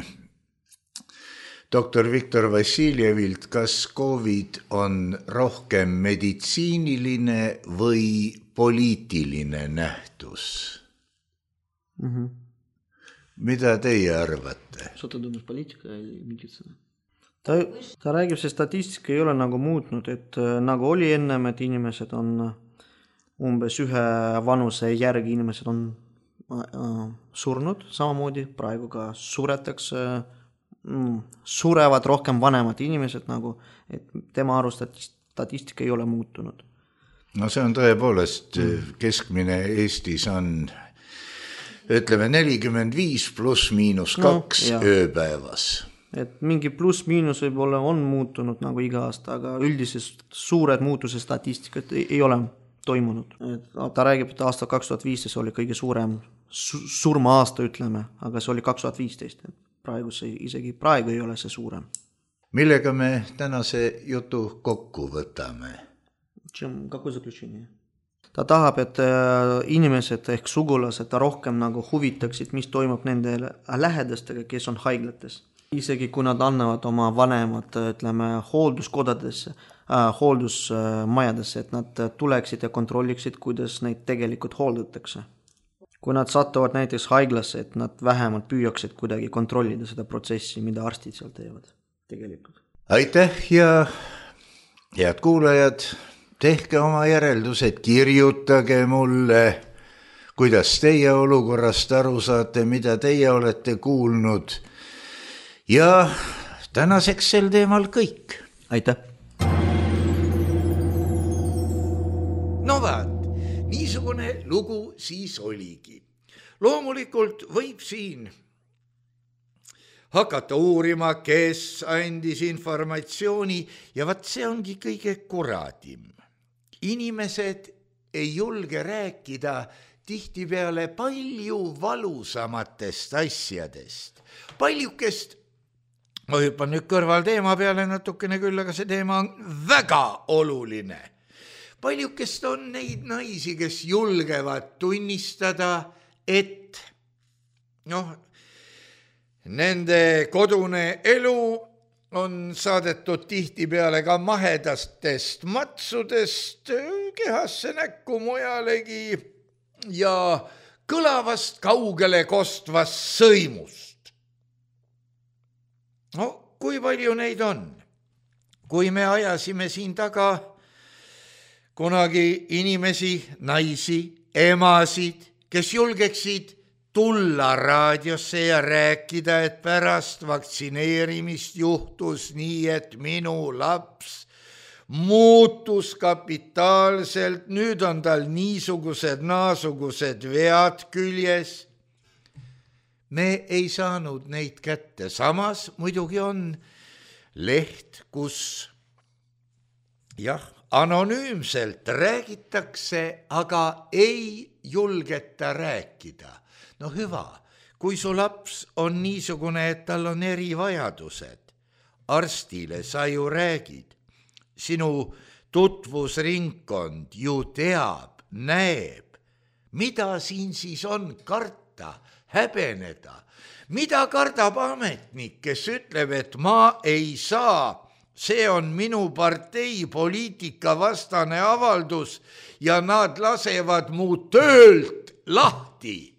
doktor Viktor Vassiljevilt, kas COVID on rohkem meditsiiniline või poliitiline nähtus. Mm-hmm. Mida teie arvate? Что ты думаешь, политика или медицина? Ta, ta räägib, see statistika ei ole nagu muutnud, et nagu oli ennem, et inimesed on umbes ühe vanuse järgi inimesed on surnud, samamoodi praegu ka suretakse, surevad rohkem vanemad inimesed, nagu, et tema arust statistika ei ole muutunud. No see on tõepoolest, keskmine Eestis on, ütleme, nelikümmend viis pluss miinus kaks no, ööpäevas. Et mingi pluss miinus võib-olla on muutunud nagu iga aasta, aga üldises suured muutuse statistikat ei, ei ole toimunud. Et ta räägib, et aasta kaks tuhat viisteist oli kõige suurem surma aasta, ütleme, aga see oli kaks tuhat viisteist. Praegu see, isegi praegu ei ole see suurem. Millega me tänase jutu kokku võtame? Какое заключение? Ta tahab, et inimesed ehk sugulased rohkem nagu huvitaksid, mis toimub nende lähedastega, kes on haiglates. Isegi kui nad annavad oma vanemad, ütleme, hoolduskodadesse, äh, hooldusmajadesse, et nad tuleksid ja kontrolliksid, kuidas neid tegelikult hooldatakse. Kui nad satuvad näiteks haiglasse, et nad vähemalt püüaksid kuidagi kontrollida seda protsessi, mida arstid seal teevad tegelikult. Aitäh ja head kuulajad, tehke oma järeldused, kirjutage mulle, kuidas teie olukorrast aru saate, mida teie olete kuulnud. Ja tänaseks sel teemal kõik. Aitäh! No vaat, niisugune lugu siis oligi. Loomulikult võib siin hakata uurima, kes andis informatsiooni ja vaat see ongi kõige kuradim. Inimesed ei julge rääkida tihtipeale palju valusamatest asjadest. Paljukest, ma hüppan nüüd kõrval teema peale natukene küll, aga see teema on väga oluline. Paljukest on neid naisi, kes julgevad tunnistada, et noh, nende kodune elu on saadetud tihtipeale ka mahedastest matsudest kehasse näkku mujalegi ja kõlavast kaugele kostvast sõimust. No, kui palju neid on? Kui me ajasime siin taga kunagi inimesi, naisi, emasid, kes julgeksid tulla raadiosse ja rääkida, et pärast vaktsineerimist juhtus nii, et minu laps muutus kapitaalselt, nüüd on tal niisugused naasugused vead küljes. Me ei saanud neid kätte. Samas muidugi on leht, kus jah, anonüümselt räägitakse, aga ei julgeta rääkida. No hüva, kui su laps on niisugune, et tal on erivajadused, arstile sa ju räägid. Sinu tutvusringkond ju teab, näeb, mida siin siis on karta, häbeneda, mida kardab ametnik, kes ütleb, et ma ei saa, see on minu partei poliitika vastane avaldus ja nad lasevad mu töölt lahti.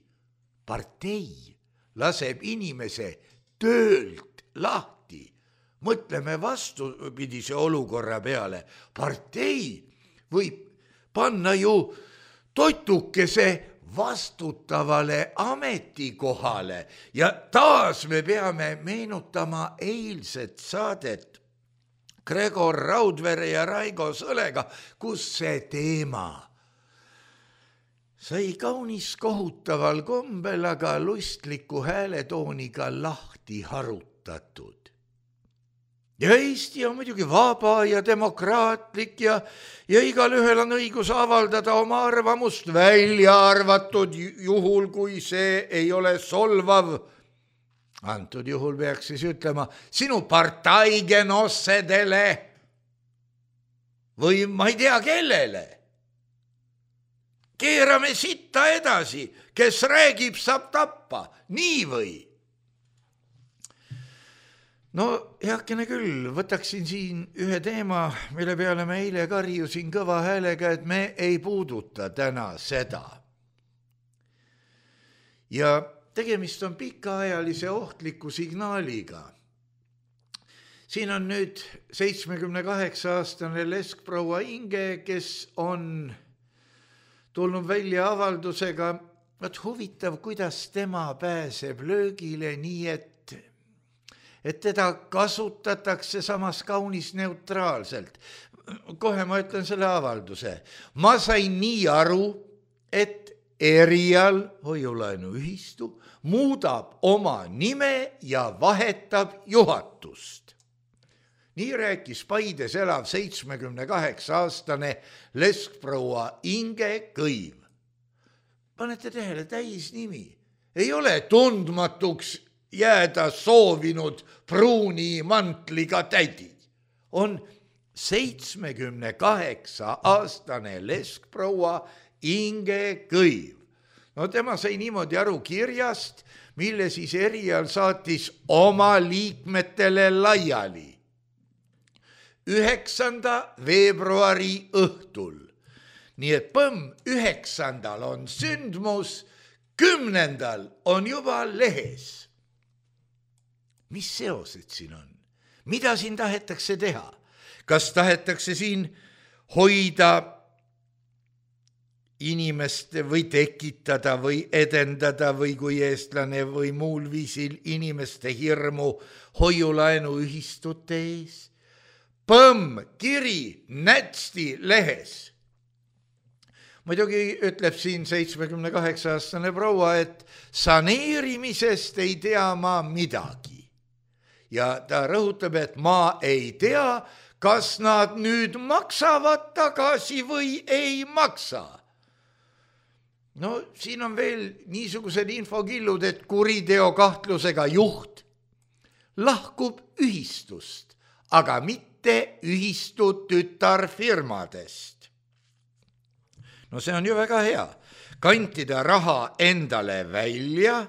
Partei laseb inimese töölt lahti. Mõtleme vastupidise olukorra peale. Partei võib panna ju totukese vastutavale ametikohale ja taas me peame meenutama eilset saadet Gregor Raudvere ja Raigo Sõlega, kus see teema sai kaunis kohutaval kombel, aga lustliku hääletooniga lahti harutatud. Ja Eesti on muidugi vaba ja demokraatlik ja, ja igal ühel on õigus avaldada oma arvamust, välja arvatud juhul, kui see ei ole solvav. Antud juhul peaks siis ütlema sinu partaigenossedele või ma ei tea kellele. Keerame sitta edasi, kes räägib, saab tappa, nii või? No heakene küll, võtaksin siin ühe teema, mille peale me eile karjusin kõva häälega, et me ei puuduta täna seda. Ja tegemist on pikaajalise ohtliku signaaliga. Siin on nüüd seitsmekümne kaheksa aastane leskproua Inge, kes on tulnud välja avaldusega, et huvitav, kuidas tema pääseb löögile nii, et et teda kasutatakse samas kaunis neutraalselt. Kohe ma ütlen selle avalduse. Ma sain nii aru, et Erial hoiulaenuühistu muudab oma nime ja vahetab juhatust. Nii rääkis Paides elav seitsmekümne kaheksa aastane leskproua Inge Kõiv. Panete tähele, täisnimi. Ei ole tundmatuks jääda soovinud pruuni mantliga tädi. On seitsmekümne kaheksa aastane leskproua Inge Kõiv. No tema sai niimoodi aru kirjast, mille siis Erial saatis oma liikmetele laiali. üheksanda veebruari õhtul. Nii et põmm, üheksandal on sündmus, kümnendal on juba lehes. Mis seosed siin on? Mida siin tahetakse teha? Kas tahetakse siin hoida inimest või tekitada või edendada või kui eestlane või muul viisil inimeste hirmu hoiulaenuühistute ees? Põmm, kiri, nätsti lehes. Muidugi ütleb siin seitsmekümne kaheksa aastane proua, et saneerimisest ei tea ma midagi. Ja ta rõhutab, et ma ei tea, kas nad nüüd maksavad tagasi või ei maksa. No siin on veel niisugused infokillud, et kuriteo kahtlusega juht lahkub ühistust, aga mitte ühistu tütarfirmadest. No see on ju väga hea. Kantida raha endale välja,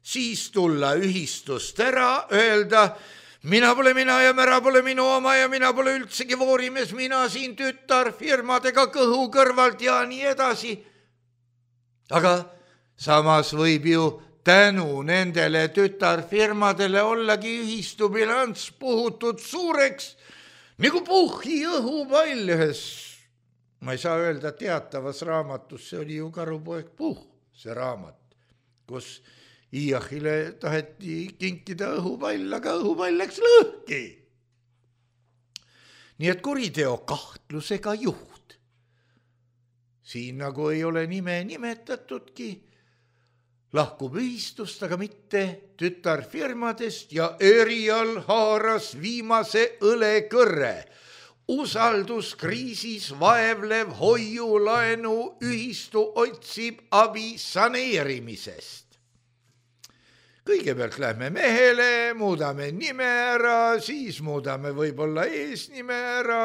siis tulla ühistust ära, öelda, mina pole mina ja mära pole minu oma ja mina pole üldsegi voorimees, mina siin tütarfirmadega kõhu kõrvalt ja nii edasi. Aga samas võib ju tänu nendele tütarfirmadele ollagi ühistu bilanss puhutud suureks, nagu puhhi õhupall ühes, ma ei saa öelda teatavas raamatus, see oli ju Karupoeg Puh, see raamat, kus Iachile taheti kinkida õhupall, aga õhupall läks lõhki. Nii et kuriteo kahtlusega juht. Siin nagu ei ole nime nimetatudki, lahkub ühistust, aga mitte tütarfirmadest ja Erial haaras viimase õlekõrre. Usalduskriisis vaevlev hoiulaenu ühistu otsib abi saneerimisest. Kõigepealt lähme mehele, muudame nime ära, siis muudame võib-olla eesnime ära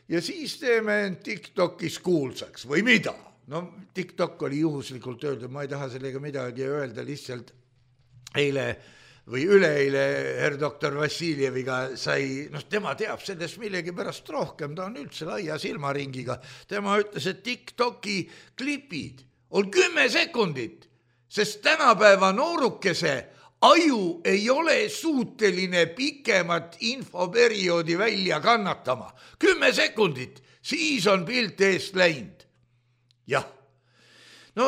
ja siis teeme TikTokis kuulsaks või mida. No TikTok oli juhuslikult öeldud, ma ei taha sellega midagi öelda, lihtsalt eile või üleeile herr doktor Vassiljeviga sai, noh tema teab sellest millegi pärast rohkem, ta on üldse laia silmaringiga. Tema ütles, et TikToki klipid on kümme sekundit, sest tänapäeva noorukese aju ei ole suuteline pikemat infoperioodi välja kannatama. Kümme sekundit, siis on pilt eest läinud. Jah, no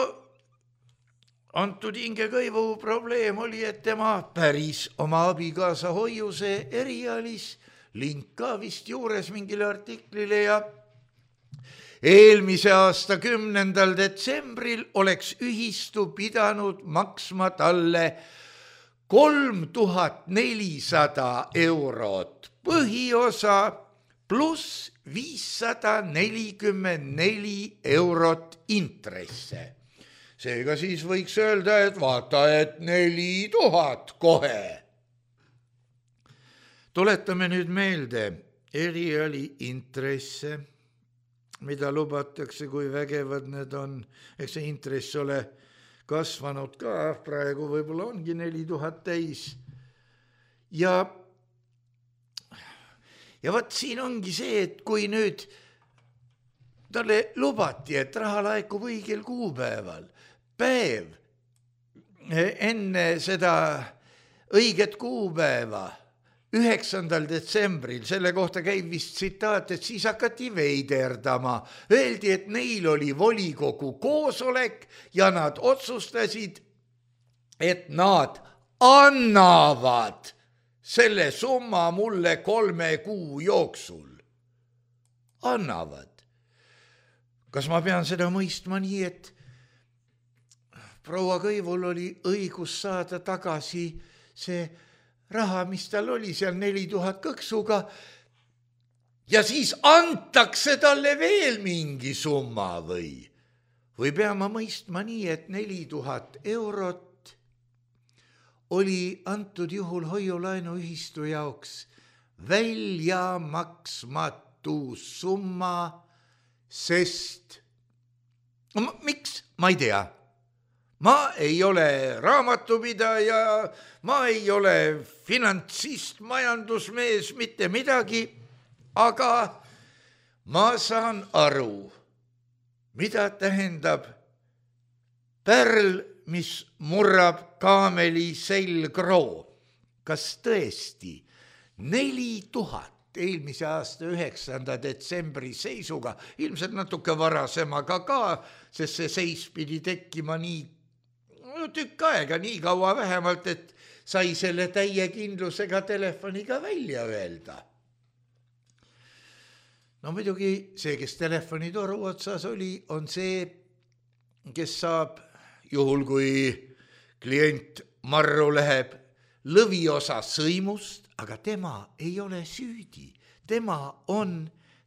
antud Inge Kõivu probleem oli, et tema päris oma abikaasa hoiuse erialis, link ka vist juures mingile artiklile ja eelmise aasta kümnendal detsembril oleks ühistu pidanud maksma talle kolm tuhat nelisada eurot põhiosa pluss viissada nelikümmend neli eurot intresse. Seega siis võiks öelda, et vaata, et neli tuhat kohe. Tuletame nüüd meelde eriali intresse, mida lubatakse, kui vägevad need on. Eks see intress ole kasvanud ka, praegu võib-olla ongi neli tuhat täis. Ja, ja vaat siin ongi see, et kui nüüd talle lubati, et raha laikub õigel kuupäeval, päev enne seda õiget kuupäeva, üheksandal detsembril, selle kohta käib vist tsitaat, et siis hakati veiderdama. Öeldi, et neil oli volikogu koosolek ja nad otsustasid, et nad annavad selle summa mulle kolme kuu jooksul. Annavad. Kas ma pean seda mõistma nii, et proua Kõivul oli õigus saada tagasi see raha, mis tal oli seal neli tuhat kõksuga ja siis antakse talle veel mingi summa või? Või pean ma mõistma nii, et neli tuhat eurot oli antud juhul hoiulaenuühistu jaoks välja maksmatu summa, sest no, miks? Ma ei tea. Ma ei ole raamatupidaja, ma ei ole finantsist, majandusmees, mitte midagi, aga ma saan aru, mida tähendab pärl, mis murrab kaameli selgroo. Kas tõesti neli tuhat eelmise aasta üheksanda detsembri seisuga, ilmselt natuke varasemaga ka, sest see seis pidi tekkima nii tükk aega, nii kaua vähemalt, et sai selle täie kindlusega telefoniga välja öelda. No muidugi see, kes telefonitoru otsas oli, on see, kes saab, juhul kui klient marru läheb, lõviosa sõimust, aga tema ei ole süüdi. Tema on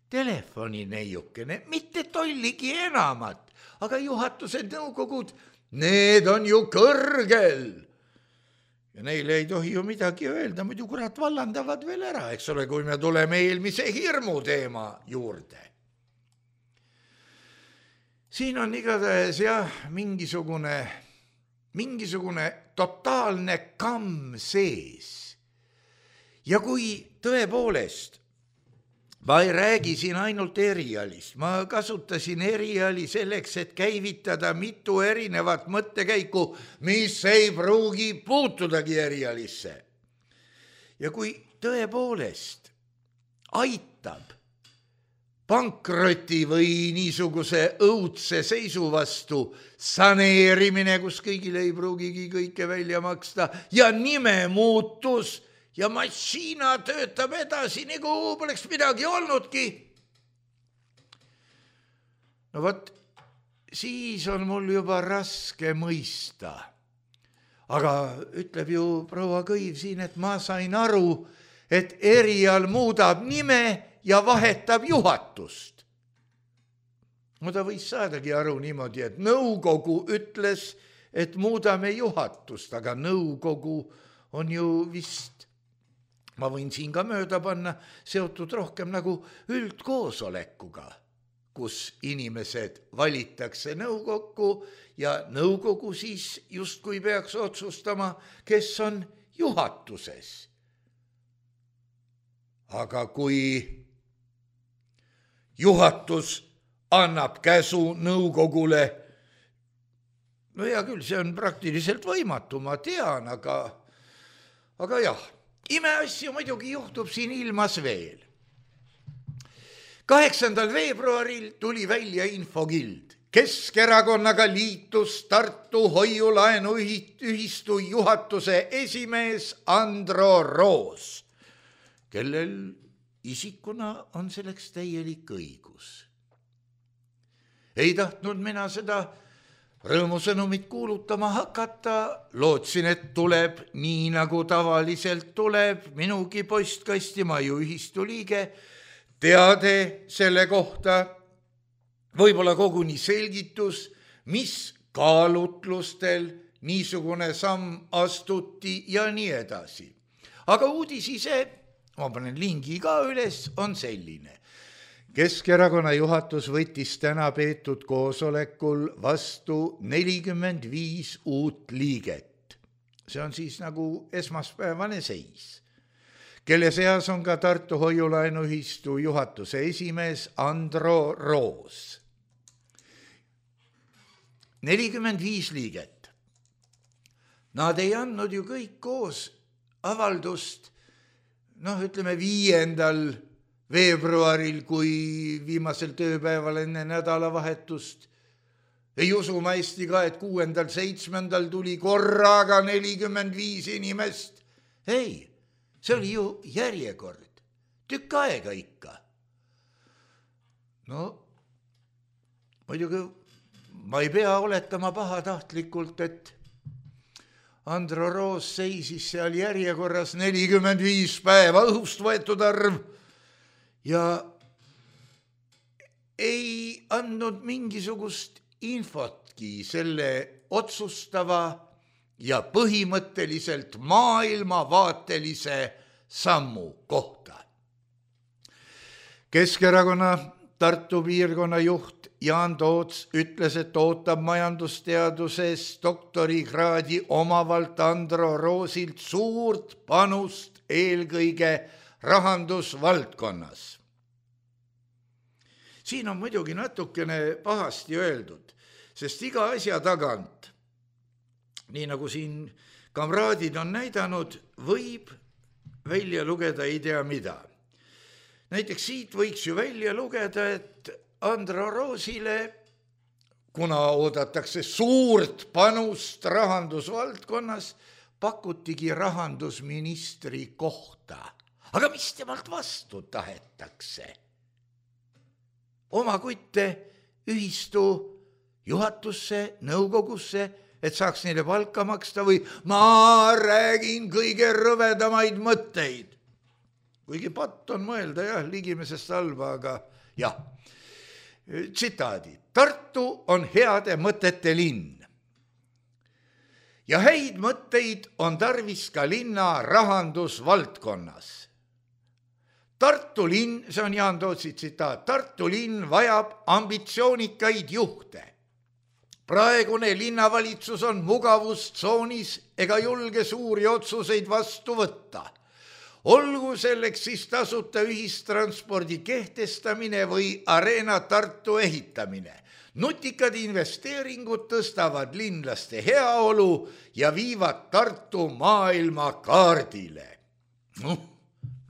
telefonineiukene, mitte tolligi enamat, aga juhatuse nõukogud, need on ju kõrgel. Ja neile ei tohi ju midagi öelda, muidu kurat vallandavad veel ära, eks ole, kui me tuleme eelmise hirmu teema juurde. Siin on igatahes jah, mingisugune, mingisugune totaalne kamm sees. Ja kui tõepoolest, ma ei räägi siin ainult erialist, ma kasutasin eriali selleks, et käivitada mitu erinevat mõttekäiku, mis ei pruugi puutudagi erialisse. Ja kui tõepoolest aitab pankroti või niisuguse õudse seisu vastu saneerimine, kus kõigile ei pruugigi kõike välja maksta ja nime muutus, ja massiina töötab edasi, nagu poleks midagi olnudki. No võt, siis on mul juba raske mõista. Aga ütleb ju proua Kõiv siin, et ma sain aru, et erial muudab nime ja vahetab juhatust. No ta võis saadagi aru niimoodi, et nõukogu ütles, et muudame juhatust, aga nõukogu on ju vist ma võin siin ka mööda panna, seotud rohkem nagu üldkoosolekuga, kus inimesed valitakse nõukokku ja nõukogu siis justkui peaks otsustama, kes on juhatuses. Aga kui juhatus annab käsu nõukogule, no hea küll, see on praktiliselt võimatu, ma tean, aga, aga jah, imeasju muidugi juhtub siin ilmas veel. kaheksandal veebruaril tuli välja infokild. Keskerakonnaga liitus Tartu hoiulaenuühistu juhatuse esimees Andro Roos, kellel isikuna on selleks täielik õigus. Ei tahtnud mina seda rõõmusõnumit kuulutama hakata, lootsin, et tuleb nii nagu tavaliselt tuleb, minugi postkasti, ma ju ühistu liige, teade selle kohta, võib-olla koguni selgitus, mis kaalutlustel niisugune samm astuti ja nii edasi. Aga uudis ise, ma panen lingi ka üles, on selline. Keskerakonna juhatus võttis täna peetud koosolekul vastu nelikümmend viis uut liiget. See on siis nagu esmaspäevane seis, kelle seas on ka Tartu hoiulaenuühistu juhatuse esimees Andro Roos. nelikümmend viis liiget. Nad ei andnud ju kõik koos avaldust, noh, ütleme viiendal veebruaril, kui viimasel tööpäeval enne nädalavahetust. Ei usu ma hästi ka, et kuuendal, seitsmendal tuli korraga nelikümmend viis inimest. Ei, see oli ju järjekord. Tükk aega ikka. No, muidugi ma ei pea oletama pahatahtlikult, et Andro Roos seisis seal järjekorras nelikümmend viis päeva, õhust võetud arv, ja ei andnud mingisugust infotki selle otsustava ja põhimõtteliselt maailmavaatelise sammu kohta. Keskerakonna Tartu piirkonna juht Jaan Toots ütles, et ootab majandusteaduses doktorikraadi omavalt Andro Roosilt suurt panust eelkõige rahandusvaldkonnas. Siin on muidugi natukene pahasti öeldud, sest iga asja tagant, nii nagu siin kamraadid on näidanud, võib välja lugeda ei tea mida. Näiteks siit võiks ju välja lugeda, et Andro Roosile, kuna oodatakse suurt panust rahandusvaldkonnas, pakutigi rahandusministri kohta. Aga mis temalt vastu tahetakse? Oma kutte ühistu juhatusse, nõukogusse, et saaks neile palka maksta või ma räägin kõige rõvedamaid mõtteid. Kuigi patt on mõelda jah, ligimesest halba, aga jah. Tsitaadi. Tartu on heade mõtete linn. Ja häid mõtteid on tarvis ka linna rahandusvaldkonnas. Tartu linn, see on Jaan Tootsi tsitaat, Tartu linn vajab ambitsioonikaid juhte. Praegune linnavalitsus on mugavustsoonis ega julge suuri otsuseid vastu võtta. Olgu selleks siis tasuta ühistranspordi kehtestamine või Arena Tartu ehitamine. Nutikad investeeringud tõstavad linlaste heaolu ja viivad Tartu maailma kaardile. Noh,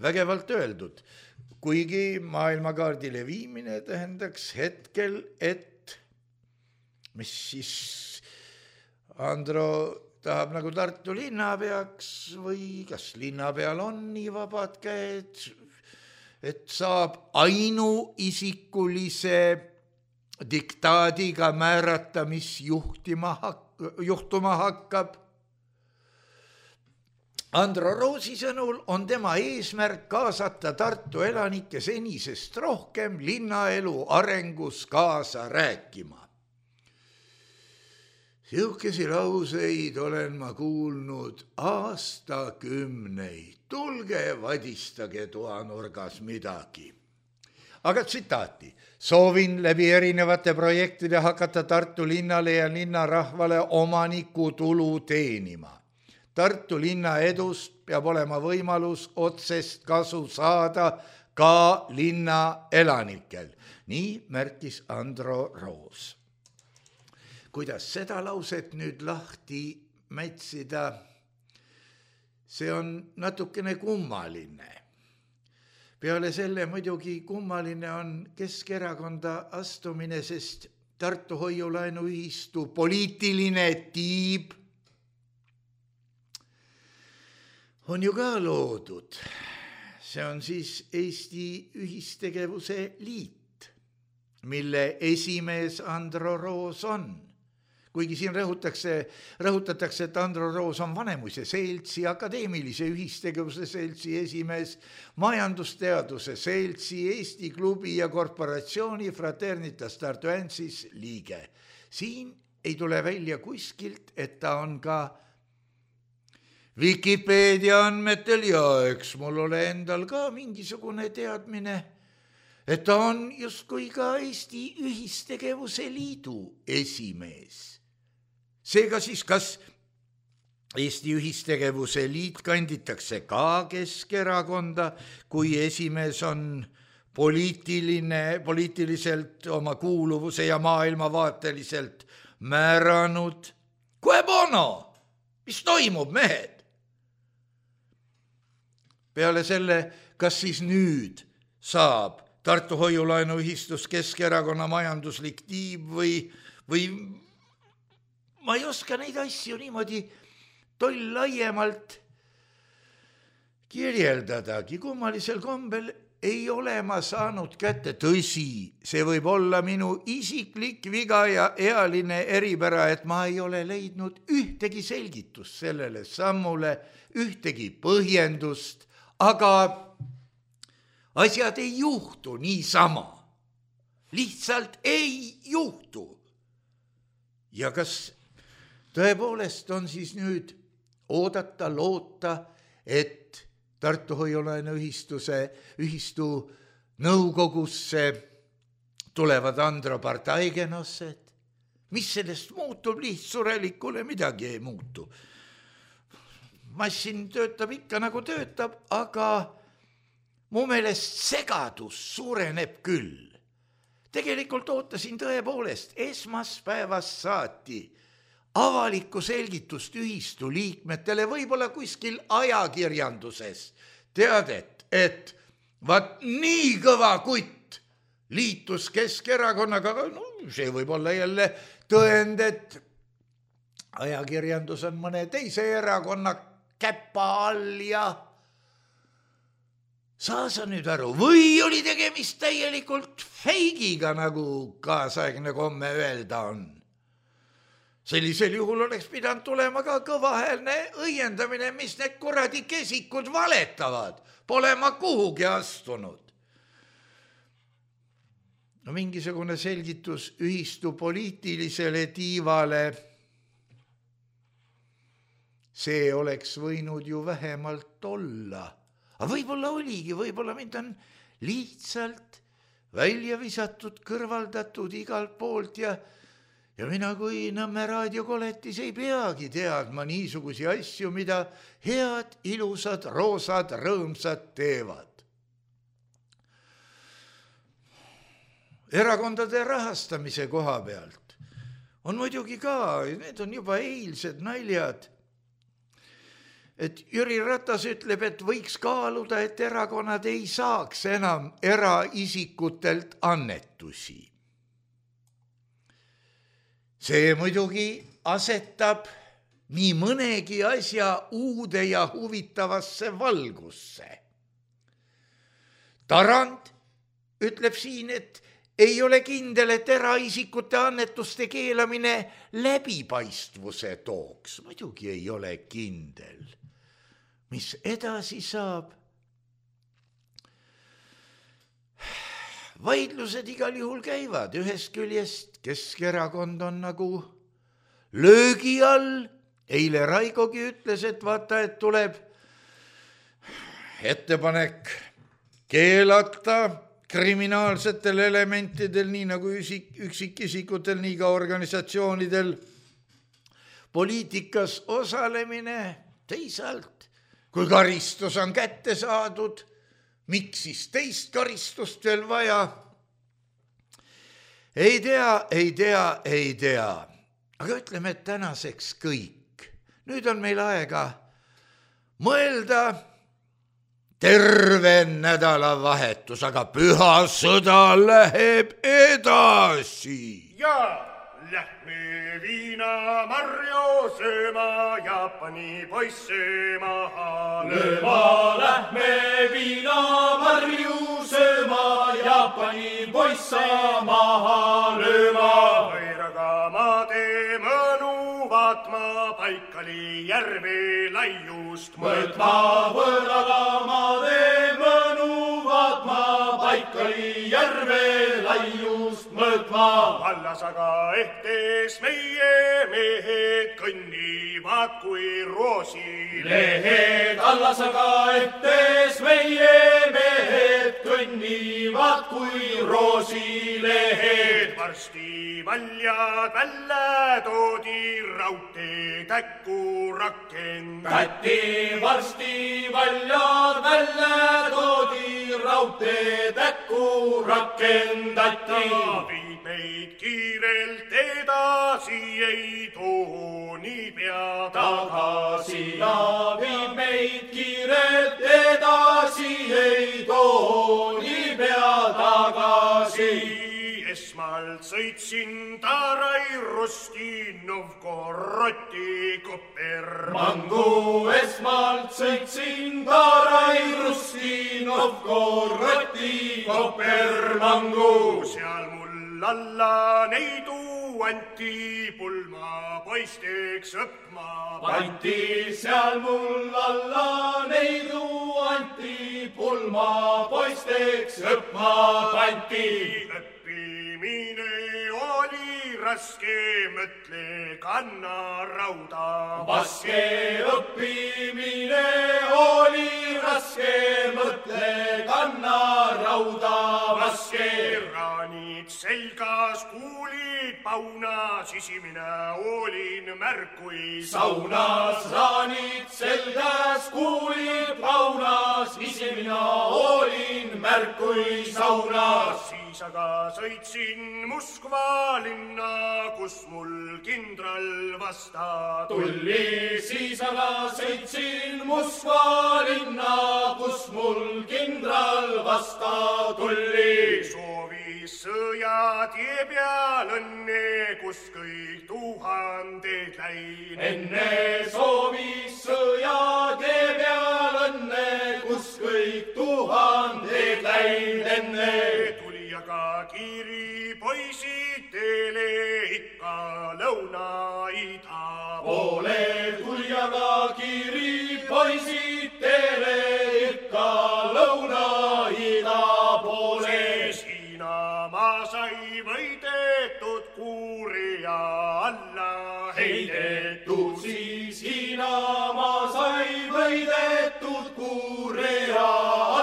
vägevalt öeldud, kuigi maailmakaardile viimine tähendaks hetkel, et mis siis Andro tahab nagu Tartu linnapeaks või kas linnapeal on nii vabad käed, et saab ainuisikulise diktaadiga määrata, mis juhtima hak- juhtuma hakkab. Andro Roosi sõnul on tema eesmärk kaasata Tartu elanikke senisest rohkem linnaelu arengus kaasa rääkima. Sihukesi lauseid olen ma kuulnud aastakümneid. Tulge vadistage toanurgas midagi. Aga tsitaati. Soovin läbi erinevate projektide hakata Tartu linnale ja linnarahvale omaniku tulu teenima. Tartu linna edust peab olema võimalus otsest kasu saada ka linna elanikel. Nii märkis Andro Roos. Kuidas seda lauset nüüd lahti mätsida, see on natukene kummaline. Peale selle muidugi kummaline on Keskerakonda astumine, sest Tartu hoiulaenuühistu poliitiline tiib on ju ka loodud. See on siis Eesti Ühistegevuse Liit, mille esimees Andro Roos on. Kuigi siin rõhutatakse, rõhutatakse, et Andro Roos on Vanemuise seltsi, akadeemilise ühistegevuse seltsi esimees, majandusteaduse seltsi, Eesti klubi ja korporatsiooni Fraternitas Tartuensis liige. Siin ei tule välja kuskilt, et ta on ka Wikipedia andmetel ja eks mul ole endal ka mingisugune teadmine, et ta on justkui ka Eesti Ühistegevuse Liidu esimees. Seega siis, kas Eesti Ühistegevuse Liit kanditakse ka Keskerakonda, kui esimees on poliitiline, poliitiliselt oma kuuluvuse ja maailmavaateliselt määranud? Kue bono? Mis toimub, mehed? Peale selle, kas siis nüüd saab Tartu hoiulaenuühistus Keskerakonna majanduslik tiib või, või ma ei oska neid asju niimoodi toll laiemalt kirjeldadagi. Kummalisel kombel ei ole ma saanud kätte. Tõsi, see võib olla minu isiklik viga ja ealine eripära, et ma ei ole leidnud ühtegi selgitust sellele sammule, ühtegi põhjendust, aga asjad ei juhtu niisama. Lihtsalt ei juhtu. Ja kas tõepoolest on siis nüüd oodata, loota, et Tartu hoiulaenuühistuse ühistu nõukogusse tulevad Andro Partaigenosed? Mis sellest muutub? Lihtsurelikule midagi ei muutu. Massin töötab ikka nagu töötab, aga mu meelest segadus suureneb küll. Tegelikult ootasin tõepoolest esmaspäevast saati avalikku selgitust ühistu liikmetele, võib-olla kuskil ajakirjanduses teadet, et vaat nii kõva kutt liitus Keskerakonnaga, no see võib olla jälle tõend, et ajakirjandus on mõne teise erakonna käppa all ja saa sa nüüd aru, või oli tegemist täielikult feigiga, nagu kaasaegne komme öelda on. Sellisel juhul oleks pidanud tulema ka kõvahäälne õiendamine, mis need kuradi kesikud valetavad. Pole ma kuhugi astunud. No mingisugune selgitus ühistu poliitilisele tiivale, see oleks võinud ju vähemalt olla. Aga võib-olla oligi, võib-olla mind on lihtsalt välja visatud, kõrvaldatud igalt poolt ja Ja mina kui Nõmme raadiokoletis ei peagi teadma niisugusi asju, mida head, ilusad, roosad, rõõmsad teevad. Erakondade rahastamise koha pealt on muidugi ka, need on juba eilsed naljad, et Jüri Ratas ütleb, et võiks kaaluda, et erakonnad ei saaks enam eraisikutelt annetusi. See muidugi asetab nii mõnegi asja uude ja huvitavasse valgusse. Tarand ütleb siin, et ei ole kindel, et eraisikute annetuste keelamine läbipaistvuse tooks. Muidugi ei ole kindel. Mis edasi saab? Vaidlused igal juhul käivad. Ühest küljest Keskerakond on nagu löögi all. Eile Raigogi ütles, et vaata, et tuleb ettepanek keelata kriminaalsetel elementidel, nii nagu üksikisikutel, nii ka organisatsioonidel poliitikas osalemine. Teisalt, kui karistus on kätte saadud, miks siis teist karistust veel vaja? Ei tea, ei tea, ei tea. Aga ütleme, et tänaseks kõik. Nüüd on meil aega mõelda. Terve nädalavahetus, aga püha sõda läheb edasi. Ja lähme viinamarju sööma, Jaapani poisse maha lööma. Lähme viinamarju sööma, Jaapani poisse maha lööma. Võiraga maade mõnu vaatma, Paikali järve laiust mõõtma. Võiraga maade mõnu vaatma, Paikali järve laiust mõõtma. Vallas aga ehtes meie mehed kõnnivad kui roosilehed. Vallas aga ehtes meie mehed kõnnivad kui roosilehed. Varsti valjad välja toodi raudtee täkku rakendati. Varsti valjad välja toodi raudtee täkku rakendati. Viid meid kiirelt edasi, ei too niipea tagasi. Viid meid kiirelt edasi, ei too niipea tagasi. Esmalt sõitsin Tarai Rusti Novgorodi Kopermangu. Esmalt sõitsin Tarai Rusti Novgorodi Kopermangu. Seal mul alla neidu anti, pulma poisteks õppma pandi. Seal mul alla neidu anti, pulma poisteks õppma pandi. Õppimine oli raske, mõtle kanna rauda vaske. Õppimine oli raske, mõtle kanna rauda vaske. Raanid selgas, kuulid paunas, isimine olin märkui saunas. Raanid selgas, kuulid paunas, isimine olin märkui saunas. Siis aga sõitsin Moskva linna, kus mul kindral vasta tulli. Siis aga sõitsin Moskva linna, kus mul kindral vasta tulli. Soovis sõja tie peal õnne, kus kõik tuhanded läin. Enne soovis sõja tie peal õnne, kus kõik tuhanded läin. Enne tuli aga kiiri poisid teele ikka lõuna-ida poole. Tuli aga kiiri poisid teele ikka lõuna-ida poole. Hiinamaa sai võidetud, Kuuria alla heidetud. Siis Hiinamaa sai võidetud, Kuuria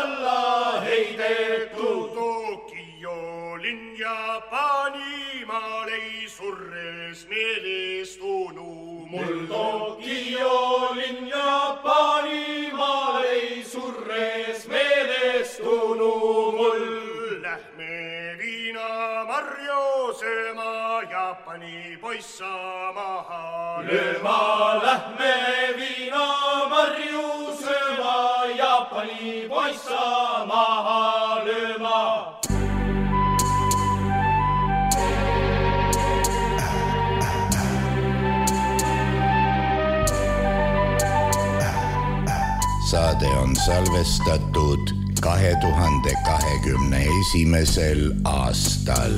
alla heidetud. Tokyo linn Jaapanimaal ei surres meelestunu mul. Tokyo linn Jaapanimaal ei surres meelestunu mul. Lähme viinamarju sööma, Jaapani poissa maha lööma. Lähme viinamarju sööma, Jaapani poissa maha lööma. Saade on salvestatud kahe tuhande kahekümne esimesel aastal.